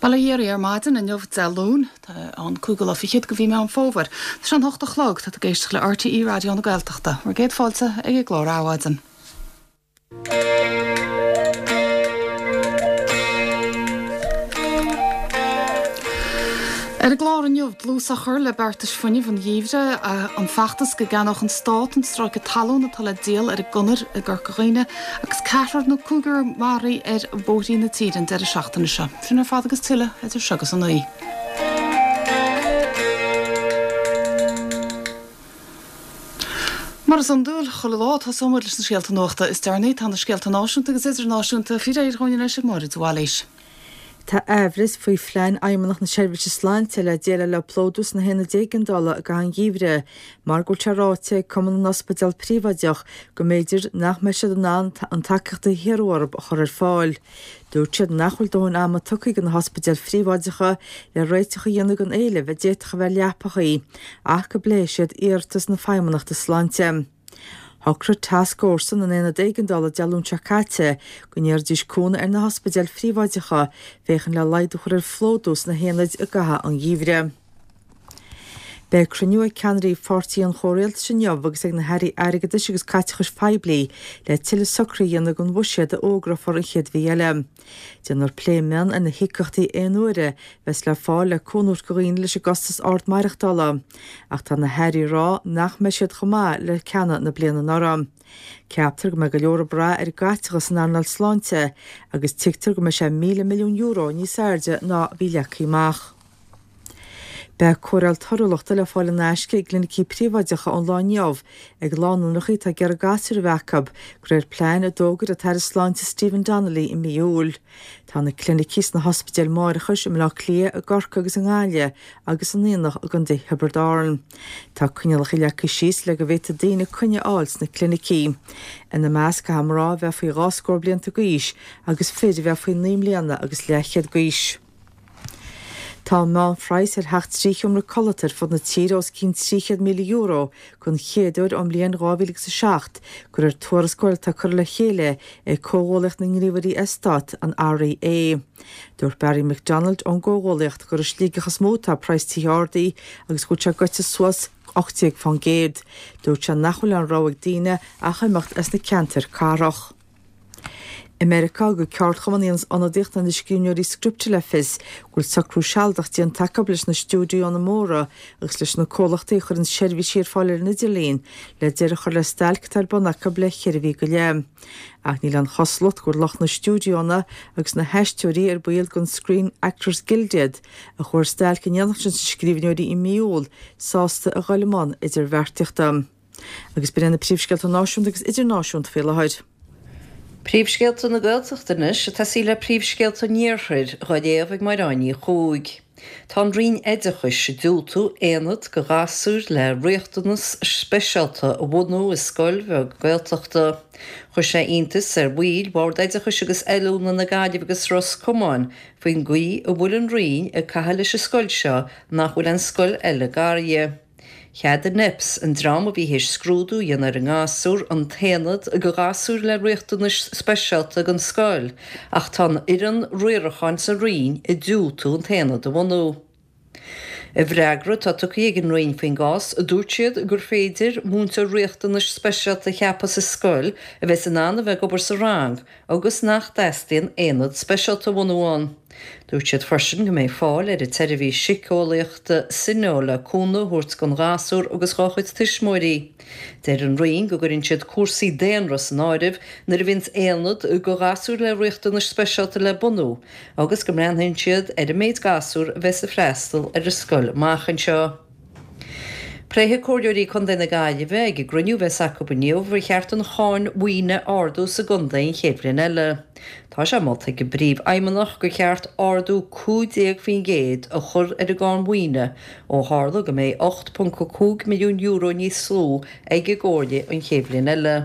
Bail ó Dhia oraibh ar maidin inniu Dé Luain, tá an cúigiú lá fichead de mhí Meán Fómhair. Tá sé an hocht a chlog, tá tú ag éisteacht le RTÉ Raidió na Gaeltachta. Bhur gcéad fáilte ag an gclár Adhmhaidin. Ar an gclár inniu, dlús á chur le beartais fuinnimh an gheimhridh, an feachtas go gceannódh an Stát an stráice talún atá le díol ar an gConair i gCorca Dhuibhne agus ceathrar nó cúigear maraithe ar bhóithrí na tíre an deireadh seachtaine seo. Sin ar fad agus tuilleadh idir seo agus a naoi. Mar is iondúil, chuile lá, tosóidh muid leis na scéalta nuachta is deireanaí. Tá na scéalta náisiúnta agus idirnáisiúnta faoi réir dhúinn anois ag Máire de Bhailís. Tá aimhleas faoi phlean Fheidhmeannacht na Seirbhíse Sláinte le déileáil le plódú sna haonaid éigeandála i gcaitheamh an gheimhridh mar go bhfuil sé ráite ag Cumann na nOspidéal Príobháideach go mb'fhéidir nach mbeidh siad in ann an tacaíocht a hiarradh orthu a chur ar fáil. Dúirt siad nach bhfuil dóthain ama tugtha do na hospidéil phríobháideacha le réiteach a dhéanamh don éileamh a d'fhéadfadh a bheith leapachaí ach go bpléifidh siad iarratas na Feidhmeannachta Sláinte. Shocraigh Tascfhórsa na nAonad Éigeandála Dé Luain seo caite go n-iarrfaidís cúnamh ar na hospidéil phríobháideacha féachaint le laghdú a chur ar phlódú sna haonaid i gcaitheamh an gheimhridh. Beidh cruinniú ag ceannairí pháirtithe an chomhrialtais inniu agus ag na hairí airgeadais agus caiteachais phoiblí le tuilleadh socruithe a dhéanamh don bhuiséad a fhógrófar an chéad mhí eile. Déanfar plé mion ar na híocaíochtaí aon uaire a bheas le fáil le cúnamh a thabhairt do dhaoine leis an gcostas ard maireachtála. Ach tá na hairí ag rá nach mbeidh siad chomh maith le ceanna na bliana anuraidh. Ceaptar go mbeidh go leor ag brath ar an gcaiteachas san earnáil sláinte agus tuigtear go mbeidh sé €1,000 milliún níos airde ná a bhí leagtha amach. Beidh cóireáil torthúlachta le fáil in aisce i gclinicí príobháideacha ón lá inniu ag lánúineacha atá ag iarraidh gasúir a bheith acu, de réir plean a d'fhógair an tAire Sláinte Stephen Donnelly i mí Iúil. Tá na clinicí sna hospidéil máithreachais i mBaile Átha Cliath, i gCorcaigh agus i nGaillimh agus in Aonach i gContae Thiobraid Árann. Tá coinníollacha leagtha síos le go bhféadfaidh daoine coinne a fháil sna clinicí. Ina measc caithfidh mná a bheith faoi dhá scór blianta d'aois agus fir a bheith faoi naoi mbliana agus leathchéad d'aois. Tá an meánphraghas ar theach trí sheomra codlata ar fud na tíre os cionn €300,000 den chéad uair ón mbliain 2007, de réir tuarascáil atá curtha le chéile ag Comhghuallaíocht na nGníomhairí Eastát, an REA. Dúirt Barry McDonald ón gcomhghuallaíocht gur i Sligeach is mó atá praghas tithe ardaithe agus go bhfuil sé goite suas 18%. Dúirt sé nach bhfuil aon rogha ag daoine ach imeacht as na ceantair cathrach. I Meiriceá, thug ceardchumann a dhéanas ionadaíocht do na scríbhneoirí scripte le fios go bhfuil socrú sealadach déanta acu leis na stiúideonna móra agus leis na comhlachtaí a chuireann seirbhísí ar fáil ar an idirlíon le deireadh a chur le stailc atá ar bun acu le ceithre mhí go leith. Ach níl aon chosúlacht go bhfuil lucht na stiúideonna agus na haisteoirí ar baill den Screen Actors Guild iad, a chuaigh ar stailc in éineacht leis na scríbhneoirí i mí Iúil, sásta a dhul i mbun idirbheartaíochta. Agus b'in iad na príomhscéalta náisiúnta agus idirnáisiúnta faoi láthair. Príomhscéalta na Gaeltachta anois ag tosaí le príomhscéalta an Iarthair, dhá léamh ag Máire Áine Ní Chuaig. Tá an Roinn Oideachais ag diúltú aonad do ghasúir le riachtanas speisialta a bhunú i scoil bheag Gaeltachta. Chuir sé iontas ar bhaill Bhord Oideachais agus Oiliúna na Gaillimhe agus Ros Comáin faoin gcaoi a bhfuil an Roinn ag caitheamh leis an scoil seo nach bhfuil aon scoil eile gar di. Cheadaigh Neps, an dream a bhí théis scrúdú a dhéanamh ar an ngasúr, an t-aonad do ghasúir le riachtanais speisialta don scoil ach tá an fhoireann riaracháin sa Roinn ag diúltú an t-aonad a bhunú. I bhfreagra atá tugtha ag an Roinn faoin gcás, dúirt siad gur féidir múinteoir riachtanais speisialta a cheapadh sa scoil a bheas in ann a bheith ag obair sa rang agus nach dteastaíonn aonad speisialta a bhunú ann. Dúirt siad freisin go mbeidh fáil ar an tseirbhís síceolaíochta Syneo le cúnamh a thabhairt don ghasúr agus dhá chuid tuismitheoirí. Deir an Roinn go gcuireann siad cúrsaí daonra san áireamh nuair a bhíonns aonad do ghasúir le riachtanais speisialta le bunú agus go mbreathnaíonn siad ar an méid gasúr a bheas ag freastal ar an scoil amach anseo. Pléifidh Comhairleoirí Contae na Gaillimhe ag an gcruinniú a bheas acu inniu ar cheart an cháin mhaoine a ardú sa gcontae an chéad bhliain eile. Tá sé molta ag an bPríomhfheidhmeannach gur cheart ardú 15% a chur ar an gcáin mhaoine ó tharla go mbeidh €8.5 milliún níos lú ag an gComhairle an chéad bhliain eile.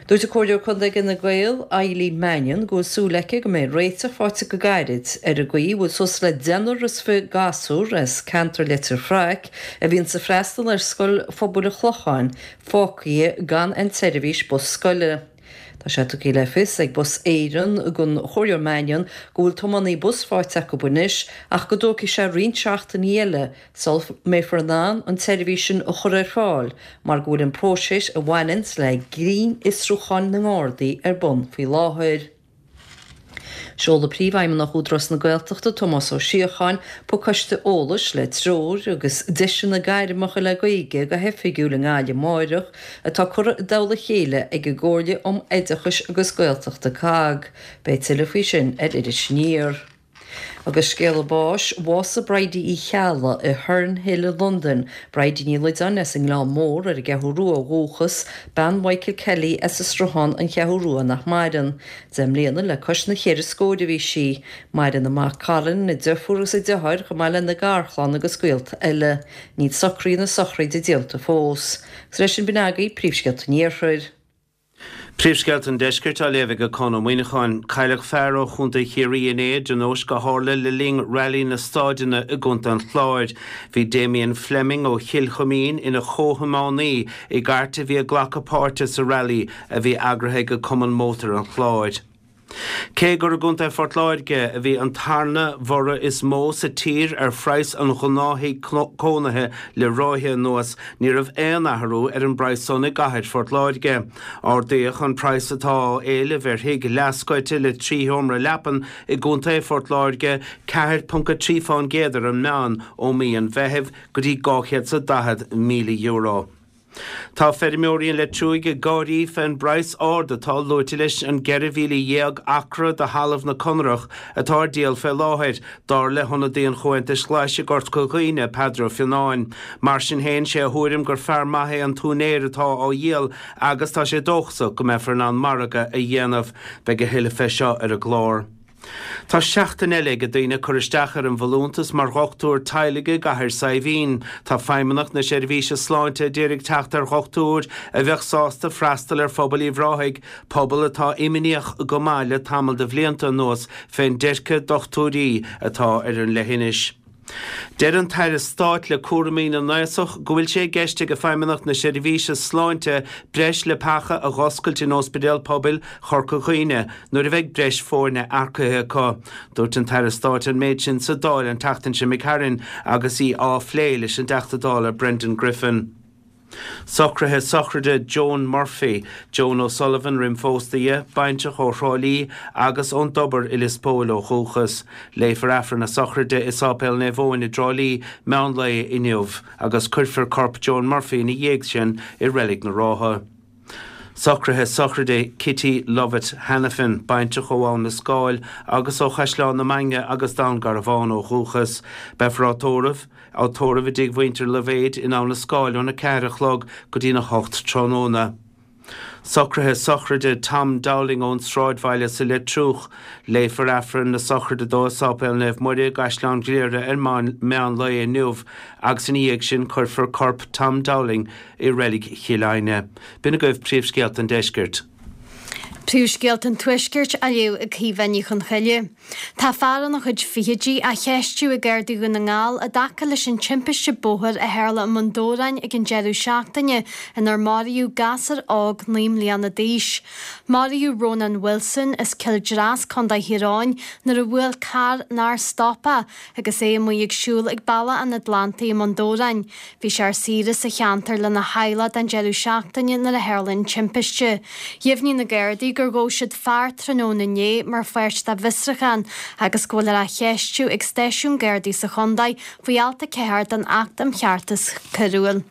Dúirt an Comhairleoir Contae ag Fhine Gael, Eileen Mannion, go bhfuil súil aici go mbeidh réiteach faighte go gairid ar an gcaoi a bhfuil suas le deichniúr is 20 gasúr as ceantar Leitir Fraic a bhíonns ag freastal ar Scoil Phobail an Chlocháin fágtha gan an tseirbhís bus scoile. Tá sé tugtha le fios ag Bus Éireann don Chomhairleoir Mannion go bhfuil tiománaí bus faighte acu anois ach go dtógfaidh sé roinnt seachtainí eile sula mbeifear in ann an tseirbhís sin a chur ar fáil mar go bhfuil an próiseas a bhaineanns le grinnfhiosrúcháin na nGardaí ar bun faoi láthair. Seolfaidh Príomhfheidhmeannach Údarás na Gaeltachta, Tomás Ó Síocháin, pacáiste eolais le treoir agus deiseanna gairmeacha le Gaeilge go hoifigiúil i nGaillimh amáireach, atá curtha i dtoll a chéile ag an gComhairle um Oideachais agus Gaeltachta, COGG. Beidh tuilleadh faoi sin ar Iris Aniar. Agus scéala báis, bhásaigh Bridie Uí Cheallaigh i Herne Hill i Londain, Bridie Ní Loideáin as an nGleann Mór ar an gCeathrú Rua ó dhúchas, bean Mhichael Kelly as an Sruthán, An Cheathrú Rua nach maireann. 10 mbliana le cois na cheithre scóir a bhí sí. Maireann a mac Colin, a deirfiúr agus a deartháir chomh maith lena garchlann agus gaolta eile. Níl socruithe na sochraide déanta fós. Agus leis sin b'in agaibh príomhscéalta an Iarthair. Príomhscéalta an Deiscirt á léamh ag Conn Ó Muíneacháin. Cailleadh fear ó Chontae Chiarraí inné i dtionóisc a tharla le linn Railí na Staideanna i gContae an Chláir. Bhí Damien Fleming ó Chill Chuimín ina chomhthiománaí i gcairt a bhí ag glacadh páirte sa railí a bhí eagraithe ag Cumann Mótar an Chláir. Cé gur i gContae Phort Láirge a bhí an tarna bhorradh is mó sa tír ar phraghas an ghnáth-thigh cónaithe le ráithe anuas, ní raibh aon athrú ar an bpraghas san i gcathair Phort Láirge. Ardaíodh an praghas atá á éileamh ar thigh leathscoite le 3 sheomra leapan i gContae Phort Láirge 4.3 fán gcéad ar an meán ó mí an Mheithimh go dtí €240,000. Tá feirmeoirí an Leitriúigh ag gáirí fén bpraghas ard atá luaite leis an 14,000 acra de thalamh na Conrach atá ar díol fé láthair, dar le hionadaí an Chomhaontais Ghlais i gCorca Dhuibhne, Peadar Ó Fionnáin. Mar sin féin, sé a thuairim gur fear maith é an t-úinéir atá á dhíol agus tá sé dóchasach go mbeifear in ann margadh a dhéanamh. Beidh a thuilleadh fé seo ar an gclár. Tá seachtain eile ag daoine cur isteach ar an bhfolúntas mar dhochtúir teaghlaigh i gCathair Saidhbhín. Tá Feidhmeannacht na Seirbhíse Sláinte a d'iarraidh teacht ar dhochtúir a bheadh sásta freastal ar phobal Uíbh Ráthaigh, pobal atá imníoch go maith le tamall de bhlianta anuas fén dteirce dochtúirí atá ar an leithinis. Deir an tAire Stáit le cúraimí na nAosach go bhfuil sé i gceist ag Feidhmeannacht na Seirbhíse Sláinte breis leapacha a dh'oscailt in Ospidéal Pobail Chorca Dhuibhne nuair a bheidh breis foirne earcaithe acu. Dúirt an tAire Stáit an méid sin sa Dáil an tseachtain seo imigh tharainn agus í á phlé leis an dTeachta Dála Brendan Griffin. Socruithe sochraide Joan Murphy, Joan O'Sullivan roim phósta di, baintreach ó Thrá Lí agus ón dTobar i Lios Póil ó dhúchas. Léifear Aifreann na sochraide i Sáipéal Naomh Eoin i dTrá Lí meán lae inniu agus cuirfear corp Joan Murphy ina dhiaidh sin i Reilig na Rátha. Socruithe sochraide Kitty Lovett Hanafin, baintreach ó Abhainn na Scáil agus ó Chaisleán na Mainge agus Dún Garbhán ó dhúchas. Beifear á tórramh á tórramh i dtigh mhuintir Loibhéid in Abhainn na Scáil óna 4 a chlog go dtína 8 tráthnóna. Socruithe sochraide Tom Dowling ón Sráidbhaile sa Leitriúch. Léifear Aifreann na sochraide dó i Sáipéal Naomh Muire i gCaisleán Ghriaire ar meán lae inniu agus ina dhiaidh sin cuirfear corp Tom Dowling i Reilig Chill Aidhne. B'in agaibh príomhscéalta an deiscirt. Príomhscéalta an Tuaiscirt á léamh ag Caoimhe Ní Chonchoille. Tá fear ina chuid fichidí á cheistiú ag Gardaí Dhún na nGall i dtaca leis an timpiste bóthair a tharla i mBun Dobhráin ag an deireadh seachtaine inar maraíodh gasúr óg 9 mbliana d'aois. Maraíodh Rónán Wilson as Cill Dreas, Co. Thír Eoghain nuair a bhuail carr nár stop é agus é amuigh ag siúl ag Bealach an Atlantaigh i mBun Dobhráin. Bhí sé ar saoire sa cheantar lena theaghlach don deireadh seachtaine nuair a tharla an timpiste. Dheimhnigh na Gardaí gur ghabh siad fear tráthnóna inné mar pháirt dá bhfiosrúchán agus go bhfuil é á cheistiú ag stáisiún Gardaí sa chontae faoi alt 4 den Acht um Cheartas Coiriúil.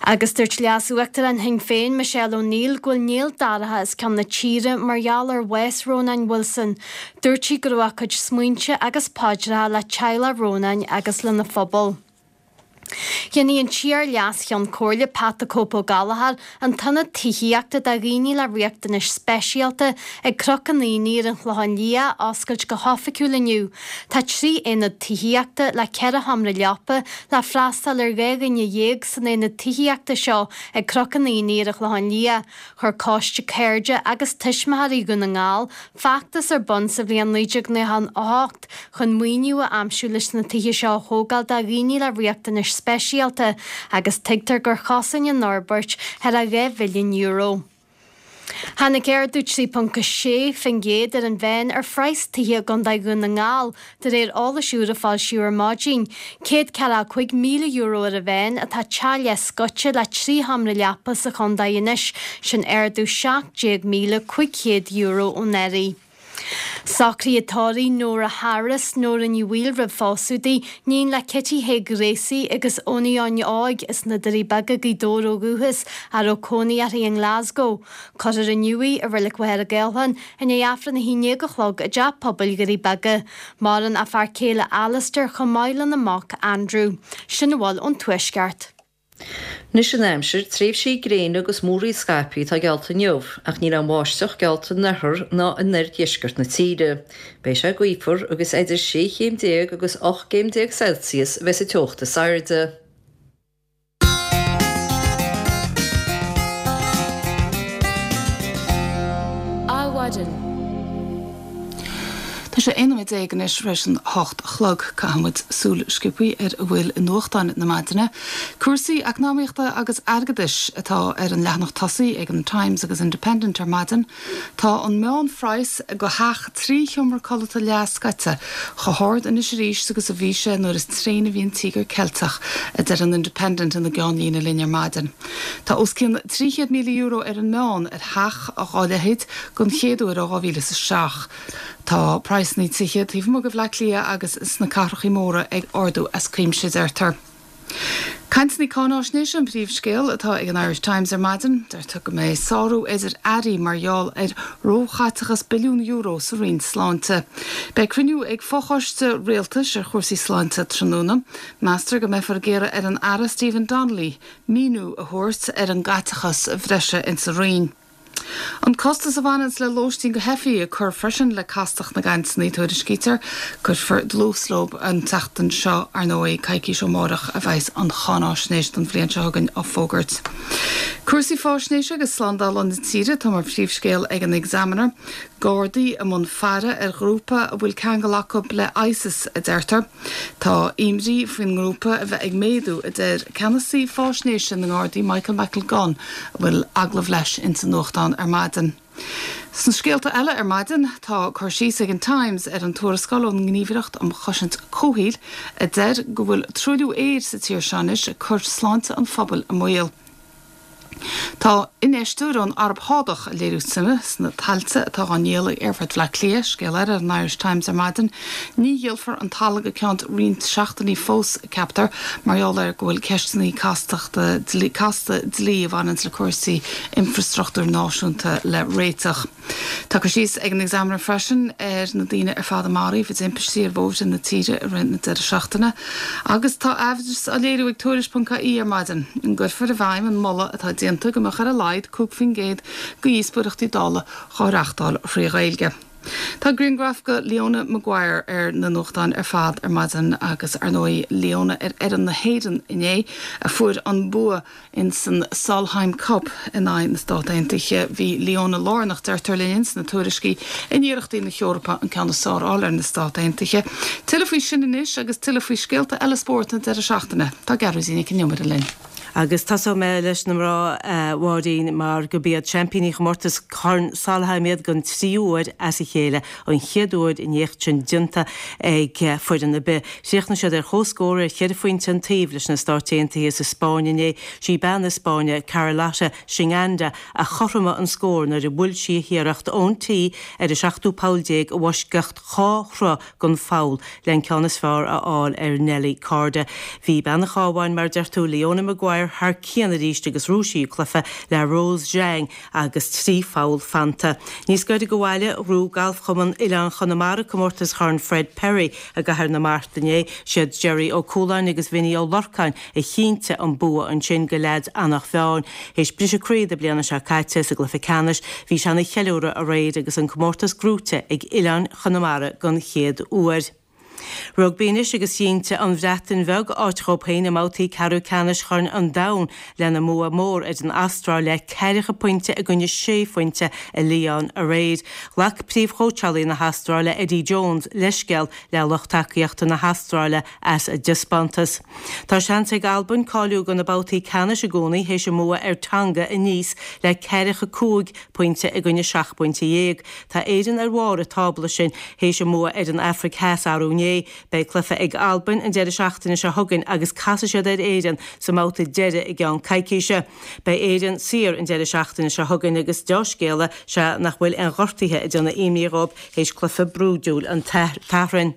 Agus dúirt Leas-Uachtarán Shinn Féin, Michelle O'Neill, go bhfuil néal dorcha os cionn na tíre mar gheall ar bhás Rónáin Wilson. Dúirt sí go raibh a cuid smaointe agus paidreacha le teaghlach Rónáin agus lena phobal. Dhéanfaidh an t-iar-Leas-Cheann Comhairle Pat 'The Cope' Ó Gallchóir an t-ionad tithíochta do dhaoine le riachtanais speisialta ag Cnoc an Aonaigh ar an Chlochán Liath a oscailt go hoifigiúil inniu. Tá 3 aonad tithíochta le 4 sheomra leapa le freastal ar 12 dhuine san aonad tithíochta seo ag Cnoc an Aonaigh ar an Chlochán Liath. Chuir Coiste Cairde agus Tuismitheoirí Dhún na nGall feachtas ar bun sa bhliain 1998 chun maoiniú a aimsiú leis na tithe seo a thógáil do dhaoine le riachtanais speisialta agus tuigtear gur chosain an fhorbairt thar €2 mhilliún. Tháinig ardú 3.6% ar an mheán ar phraghas tithe i gContae Dhún na nGall, de réir eolais úr a foilsíodh ar maidin. €145,000 ar an mheán atá teach leathscoite le 3 sheomra leapa sa chontae anois, sin ardú €17,500 ón earraigh. Socruithe tórraimh Nóra Harris, Nóra Ní Bhaoill roimh phósadh di, níon le Kitty Thaidhg Ghracie agus Eoiní Eoin Óig as na Doirí Beaga, Gaoth Dobhair ó dhúchas, a raibh cónaí uirthi i nGlasgow. Cuirfear inniu í i Reilig Mhachaire Gathlán i ndiaidh Aifreann 11 a chlog i dTeach Pobail Dhoirí Beaga. Maireann a fear céile Alistair chomh maith lena mac Andrew. Sin a bhfuil ón Tuaisceart. Anois an aimsir, tréimhsí gréine agus múraíl scaipthe atá geallta inniu, ach níl aon bháisteach geallta in oirthear ná in oirdheisceart na tíre. Beidh sé gaofar agus idir 16 chéim agus 18 gcéim Celsius a bheas an teocht is airde. Adhmhaidin. Tá sé 11 nóiméad anois tar éis an 8 a chlog. Caithfidh muid súil sciobthaí ar a bhfuil i nuachtáin na maidine. Cúrsaí eacnamaíochta agus airgeadais atá ar an leathanach tosaigh ag an Times agus Independent ar maidin. Tá an meánphraghas go theach 3 sheomra codlata leathscoite chomh hard anois arís agus a bhí sé nuair is tréine a bhí an Tíogar Ceilteach, a deir an Independent ina gceannlíne linn ar maidin. Tá os cionn €300,000 ar an meán ar theach dhá leithéid don chéad uair ó 2007. Tá praghsanna tithe taobh amuigh de Bhleá Cliath agus sna cathrachaí móra ag ardú as cuimse, deirtear. Cainteanna cáináisnéise an príomhscéal atá ag an Irish Times ar maidin. Deirtear go mbeidh sárú idir airí mar gheall ar róchaiteachas billiún euro sa Roinn Sláinte. Beidh cruinniú ag fochoiste rialtais ar chúrsaí sláinte tráthnóna. Meastar go mbeifear ag iarraidh ar an Aire Stephen Donnelly míniú a thabhairt ar an gcaiteachas bhreise insa Roinn. An costas a bhaineanns le lóistín go theifigh ag cur freisin le castacht na gcainteanna, tuairiscítear. Cuirfear dlús leo an tseachtain seo, ar ndóigh, coicís ó mháireach a bheas an cháináisnéis don bhliain seo chugainn á fógairt. Cúrsaí faisnéise agus slándála na tíre atá mar phríomhscéal ag an Examiner. Gardaí i mbun faire ar ghrúpa a bhfuil ceangal acu le ISIS, a deirtear. Tá imní faoin ngrúpa a bheith ag méadú, a deir ceannasaí fáisnéise na nGardaí Michael McIlgunn, a bhfuil agallamh leis ins an nuachtán ar maidin. Sna scéalta eile ar maidin, tá cur síos ag an Times ar an tuarascáil ón nGníomhaireacht um Chosaint Comhshaoil a deir go bhfuil truailliú aeir sa tír seo anois ag cur sláinte an phobail i mbaol. Tá infheisteoir ón Araib Shádach ag léiriú suime sna tailte atá á ndíol ag Aerfort Bhaile Átha Cliath, scéal eile ar an Irish Times ar maidin. Ní dhíolfar an talamh go ceann roinnt seachtainí fós, ceaptar, mar gheall ar go bhfuil ceisteanna castachta casta dlí a bhaineanns le cúrsaí infreastruchtúir náisiúnta le réiteach. Tá cur síos ag an Examiner freisin ar na daoine ar fad a maraíodh i dtimpistí ar bhóithre na tíre i rith na deireadh seachtaine. Agus tá aimhreas á léiriú ag Tuairisc.ie ar maidin an gcuirfear i bhfeidhm an moladh atá déanta go mbeadh ar a laghad 5% de dhíospóireachtaí Dála dhá reáchtáil thrí Ghaeilge. Tá grianghraf de Leona Maguire ar na nuachtáin ar fad ar maidin agus ar ndóigh Leona ar fhoireann na hÉireann inné a fuair an bua Ins an Solheim Cup in aghaidh na Stát Aontaithe, bhí Leona lárnach, deirtear linn ins na tuairiscí, in iarrachtaí na hEorpa an ceann is fearr a fháil ar na Stát Aontaithe. Tuilleadh faoi sin anois agus tuilleadh faoi scéalta eile spóirt na deireadh seachtaine. Tá Gearóidín Nic an Iomaire linn. Agus tosóidh mé leis na mná, a Mháirín, mar gurb iad seaimpíní chomórtas Chorn Solheim iad don tríú huair as a chéile, an chéad uair an éacht sin déanta ag foireann ar bith. Chríochnaigh siad ar comhscór ar cheithre phointe an taobh leis na Stáit Aontaithe sa Spáinn inné. Sí bean na Spáinne, Carlota Ciganda, a chothromaigh an scór nuair a bhuail sí a hiarracht ón tee ar an seachtú poll déag i bhfoisceacht dhá throigh den pholl le an ceann is fearr a fháil ar Nelly Korda. Bhí bean an Chabháin, mar a deir tú, Leona Maguire thar cionn arís agus ghnóthaigh sí an cluiche le Rose Zhang agus 3 pholl fanta. Níos gaire do bhaile, ghnóthaigh Galfchumann Oileán Chonamara comórtas Chorn Fred Perry i gCathair na Mart inné. Siad Jerry Ó Cualáin agus Vinny Ó Lorcáin a chinntigh an bua ansin do leaids Eanach Mheáin. Théis briseadh croí na bliana seo caite sa gcluiche ceannais, bhí sé ina cheiliúradh aréir agus an comórtas gnóite ag Oileán Chonamara don chéad uair. Rugbaí anois agus chinntigh an Bhreatain Bheag áit dhóibh féin i mbabhtaí ceathrú ceannais Chorn an Domhain lena mbua mór ar an Astráil le ceathracha pointe i gcoinne sé phointe i Lyon aréir. Ghlac príomhchóitseálaí na hAstráile Eddie Jones leithscéal le lucht tacaíochta na hAstráile as a dtaispeántas. Tá seans ag Albain cáiliú do na babhtaí ceannais i gcónaí théis a mbua ar Tonga i Nice le ceathracha 5 pointe i gcoinne 17 pointe. Tá Éirinn ar bharr an tábla sin théis a mbua ar an Afraic Theas arú inné. Beidh cluiche ag Albain an deireadh seachtaine seo chugainn agus casfaidh siad ar Éirinn sa mbabhta deiridh i gceann coicíse. Beidh Éirinn saor an deireadh seachtaine seo chugainn agus deá-scéala sea nach bhfuil aon ghortuithe ag déanamh imní dhóibh théis cluiche brúidiúil an tSathairn.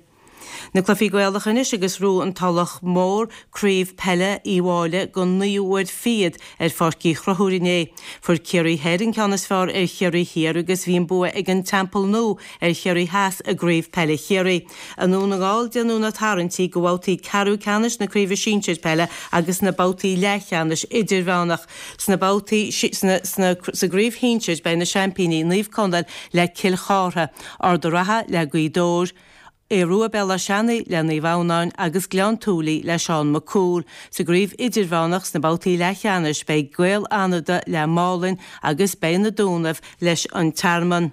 Na cluichí Gaelacha anois agus ghnóthaigh an Tulach Mhór Craobh Peile Uí Mháille don naoú huair fichead ar Pháirc Uí Chonchúir inné. Fuair Ciarraí Thoir an ceann is fearr ar Chiarraí Thiar agus bhí an bua ag an Teampall Nua ar Chiarraí Theas i gCraobh Peile Chiarraí. I nDún na nGall déanadh na tarraingtí do bhabhtaí ceathrú ceannais na Craoibhe Sinsir Peile agus na babhtaí leathcheannais idirmheánach. Sna babhtaí sna sa gCraobh Shinsir beidh na seaimpíní Naomh Conaill le Cill Chartha, Ard a' Ratha le Gaoth Dobhair, Aodh Rua Béal Átha Seanaidh le Naomh Adhamhnáin agus Gleann tSúilí le Seán Mac Cumhaill. Sa gcraobh idirmheánach sna babhtaí leathcheannais beidh Gaeil Fhánada le Málainn agus beidh na Dúnaibh leis an Tearmann.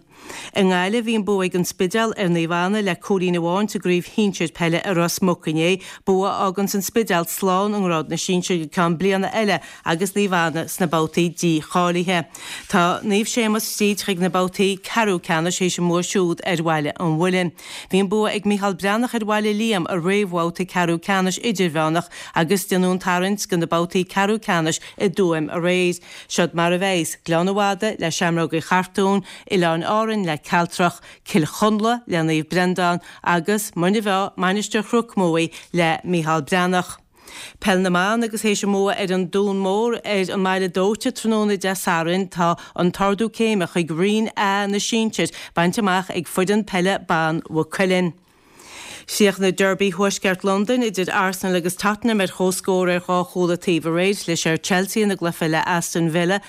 I nGaillimh bhí an bua ag an Spidéal ar Naomh Anna le cúilín amháin sa gcraobh shinsir peile i Ros Muc inné, bua a fháganns an Spidéal slán i ngrád na sinsear go ceann bliana eile agus Naomh Anna sna babhtaí dícháilithe. Tá Naomh Séamus tríd chuig na babhtaí ceathrú ceannais théis a mbua siúd ar Bhaile an Mhuilinn. Bhí an bua ag Micheál Breathnach ar Bhaile Liam i réamhbhabhta ceathrú ceannais idirmheánach agus déanadh an tarraingt do na babhtaí ceathrú ceannais i dTuaim aréir. Seod mar a bheas, Gleann an Mhadaidh le Seamróga Uí Chartúin, Oileáin Árainn le Cealtrach, Cill Chonla le Naomh Breandán agus Muine Mheá, Mainistir Chnoc Muaidh le Micheál Breathnach. Peil na mBan agus théis a mbua ar an Dún Mór ar an mBaile Dóite tráthnóna Dé Sathairn tá an t-ardú céime chuig Roinn A na Sinsir bainte amach ag foireann peile ban Mhaigh Cuilinn. Chríochnaigh Derby Thuaisceart Londain idir Arsenal agus Tottenham ar comhscór ar dhá chúl an taobh aréir. Chlis ar Chelsea ina gcluiche le Aston Villa.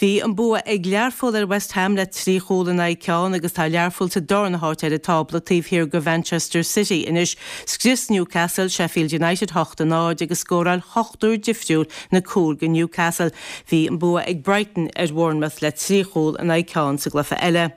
Bhí an bua ag Learpholl ar West Ham le 3 chúl in aghaidh ceann agus tá Learpholl sa darna háit ar an tábla taobh thiar de Mhanchester City anois. Scrios Newcastle Sheffield United 8-0 agus scóráil ochtar difriúil na cúil do Newcastle. Bhí an bua ag Brighton ar Bhournemouth le 3 chúl in aghaidh ceann sa gcluiche eile.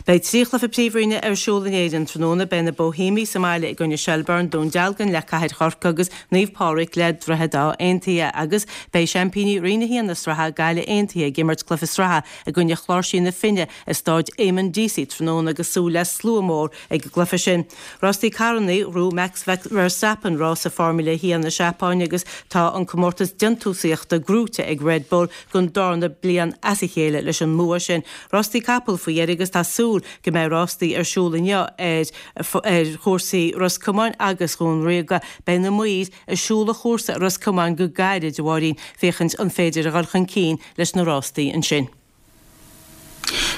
Beidh 3 chluiche Príomhroinne ar siúl in Éirinn tráthnóna. Beidh na Bohemiaigh sa mbaile i gcoinne Shelbourne, Dún Dealgan le Cathair Chorcaí agus Naomh Pádraig le Droichead Átha Aontaithe agus beidh seaimpíní Roinn 1 na sraithe, Gaillimh Aontaithe ag imirt cluiche sraithe i gcoinne Chláirsí na Finne i Stáid Eamonn Deacy tráthnóna agus súil le slua mór ag an gcluiche sin. Rástaí carrannaí, ghnóthaigh Max Verstappen rása Formula 1 na Seapáine agus tá an comórtas déantúsaíochta gnóite ag Red Bull don darna bliain as a chéile leis an mbua sin. Rástaí capall faoi dheireadh agus tá súil go mbeidh rástaí ar siúl inniu ar ar chúrsaí Ros Comáin agus Dhún Ríoga. Beidh na maoir ag siúl an chúrsa i Ros Comáin go gairid, a Mháirín, féachaint an féidir a dhul chun cinn leis na rástaí ansin.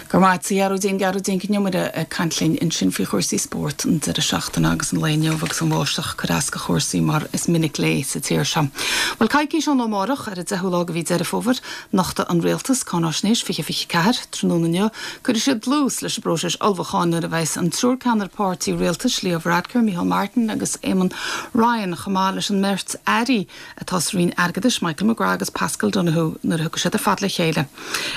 Go raibh maith agat, a Ghearóidín, Gearóidín Nic Con Iomaire ag caint linn ansin faoi chúrsaí spóirt an deireadh seachtaine agus an lae inniu agus an bháisteach ag cur as do chúrsaí mar is minic léi sa tír seo. Bhuel, coicís ón lá amárach, ar an 10ú lá de mhí Deireadh Fómhair, nochtfaidh an Rialtas Cáináisnéis 2024 tráthnóna inniu. Cuirfidh siad dlús leis an bpróiseas ullmhúcháin nuair a bheas an triúr ceannaire páirtí rialtais, Leo Varadkar, Micheál Martin agus Eamon Ryan, chomh maith leis an mbeirt airí atá sa Roinn Airgeadais, Michael McGrath agus Paschal Donohoe, nuair a thiocfaidh siad ar fad le chéile.